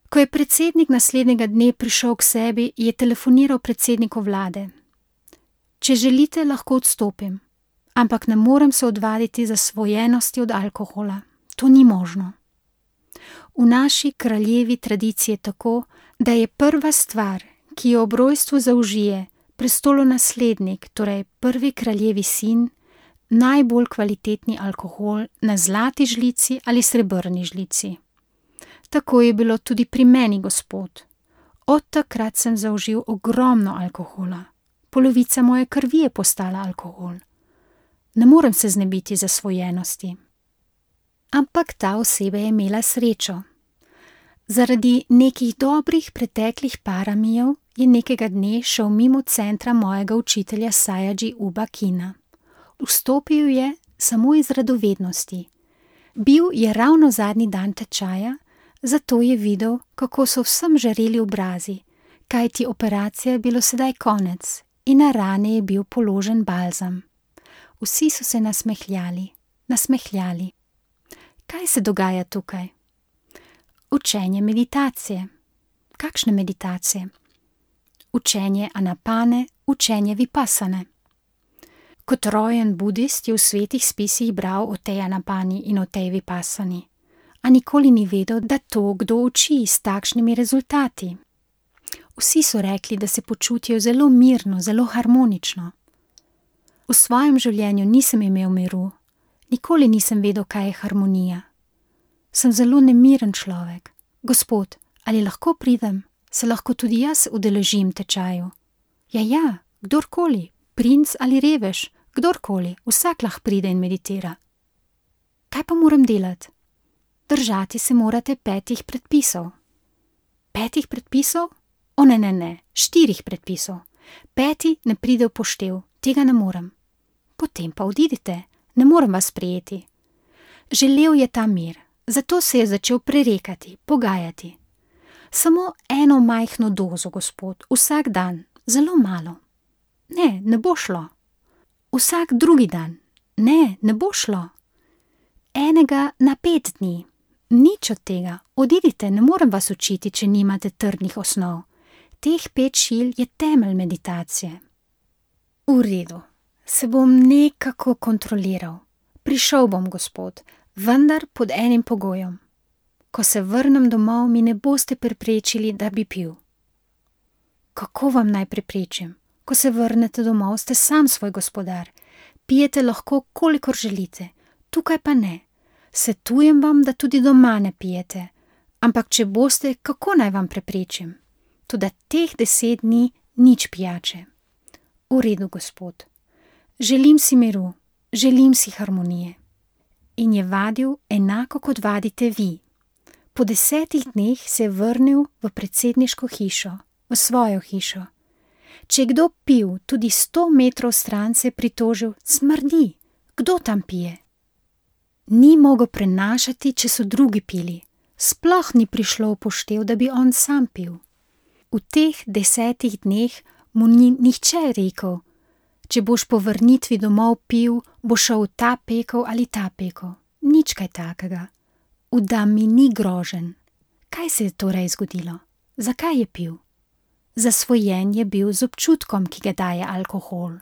Ko je predsednik naslednjega dne prišel k sebi, je telefoniral predsedniku vlade. Če želite, lahko odstopim, ampak ne morem se odvaditi zasvojenosti od alkohola. To ni možno. V naši kraljevi tradiciji je tako, da je prva stvar, ki jo ob rojstvu zaužije prestolonaslednik, torej prvi kraljevi sin, najbolj kvalitetni alkohol na zlati žlici ali srebrni žlici. Tako je bilo tudi pri meni, gospod. Od takrat sem zaužil ogromno alkohola. Polovica moje krvi je postala alkohol. Ne morem se znebiti zasvojenosti. Ampak ta oseba je imela srečo. Zaradi nekih dobrih preteklih paramijev je nekega dne šel mimo centra mojega učitelja Sajaji Uba Kina. Vstopil je samo iz radovednosti. Bil je ravno zadnji dan tečaja, zato je videl, kako so vsem žareli obrazi, kajti operacija je bilo sedaj konec in na rane je bil položen balzam. Vsi so se nasmehljali. Kaj se dogaja tukaj? Učenje meditacije. Kakšne meditacije? Učenje anapane, učenje vipasane. Kot rojen budist je v svetih spisih bral o tej anapani in o tej vipasani, a nikoli ni vedel, da to kdo uči s takšnimi rezultati. Vsi so rekli, da se počutijo zelo mirno, zelo harmonično. V svojem življenju nisem imel miru, nikoli nisem vedel, kaj je harmonija. Sem zelo nemiren človek. Gospod, ali lahko pridem? Se lahko tudi jaz udeležim tečaju? Ja, kdorkoli, princ ali revež, kdorkoli, vsak lahko pride in meditira. Kaj pa moram delati? Držati se morate 5 predpisov. 5 predpisov? Ne, 4 predpisov. 5 ne pride v poštev, tega ne morem. Potem pa odidite, ne morem vas sprejeti. Želel je ta mir, zato se je začel prerekati, pogajati. Samo eno majhno dozo, gospod, vsak dan, zelo malo. Ne bo šlo. Vsak drugi dan. Ne bo šlo. Enega na 5 dni. Nič od tega, odidite, ne morem vas učiti, če nimate trdnih osnov. Teh 5 šil je temelj meditacije. V redu, se bom nekako kontroliral. Prišel bom, gospod, vendar pod enim pogojem. Ko se vrnem domov, mi ne boste preprečili, da bi pil. Kako vam naj preprečim? Ko se vrnete domov, ste sam svoj gospodar. Pijete lahko, kolikor želite, tukaj pa ne. Svetujem vam, da tudi doma ne pijete. Ampak če boste, kako naj vam preprečim? Toda teh 10 dni nič pijače. V redu, gospod. Želim si miru, želim si harmonije. In je vadil enako, kot vadite vi. Po 10 dneh se je vrnil v predsedniško hišo, v svojo hišo. Če je kdo pil, tudi 100 metrov stran, se je pritožil: smrdi, kdo tam pije? Ni mogel prenašati, če so drugi pili. Sploh ni prišlo v poštev, da bi on sam pil. V teh 10 dneh mu ni nihče rekel: če boš po vrnitvi domov pil, bo šel v ta pekel ali ta pekel. Nič kaj takega. V Dammi ni groženj. Kaj se je torej zgodilo? Zakaj je pil? Zasvojen je bil z občutkom, ki ga daje alkohol.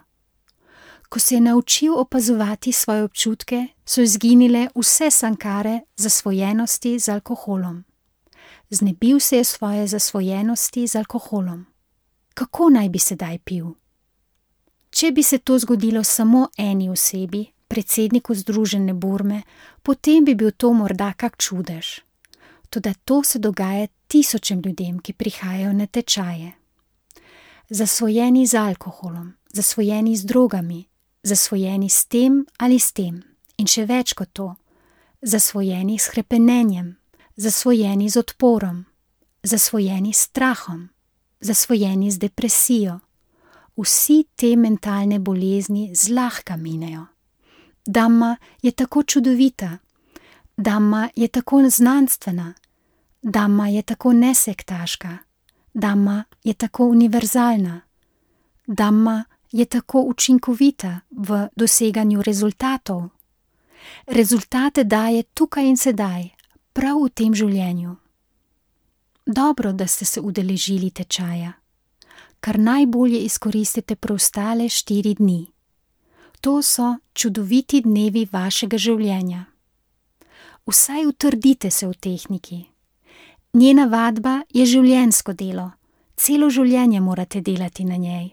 Ko se je naučil opazovati svoje občutke, so izginile vse sankare zasvojenosti z alkoholom. Znebil se je svoje zasvojenosti z alkoholom. Kako naj bi sedaj pil? Če bi se to zgodilo samo eni osebi, predsedniku Združene Burme, potem bi bil to morda kak čudež. Toda to se dogaja tisočem ljudem, ki prihajajo na tečaje. Zasvojeni z alkoholom, zasvojeni z drogami, zasvojeni s tem ali s tem in še več kot to, zasvojeni s hrepenenjem, zasvojeni z odporom, zasvojeni s strahom, zasvojeni z depresijo. Vsi te mentalne bolezni zlahka minejo. Damma je tako čudovita, Damma je tako znanstvena, Damma je tako nesektaška, Damma je tako univerzalna, Damma je tako učinkovita v doseganju rezultatov. Rezultate daje tukaj in sedaj, prav v tem življenju. Dobro, da ste se udeležili tečaja. Kar najbolje izkoristite preostale 4 dni. To so čudoviti dnevi vašega življenja. Vsaj utrdite se v tehniki. Njena vadba je življenjsko delo, celo življenje morate delati na njej.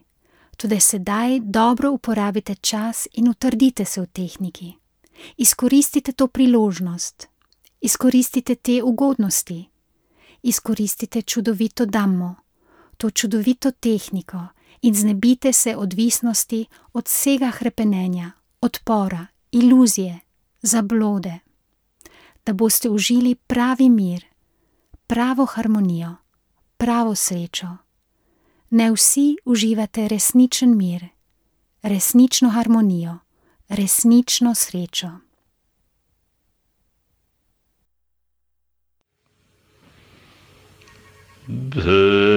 Tudi sedaj dobro uporabite čas in utrdite se v tehniki. Izkoristite to priložnost, izkoristite te ugodnosti, izkoristite čudovito Dammo, to čudovito tehniko in znebite se odvisnosti od vsega hrepenenja, odpora, iluzije, zablode, da boste užili pravi mir, pravo harmonijo, pravo srečo. Ne vsi uživate resničen mir, resnično harmonijo, resnično srečo. Bhagavad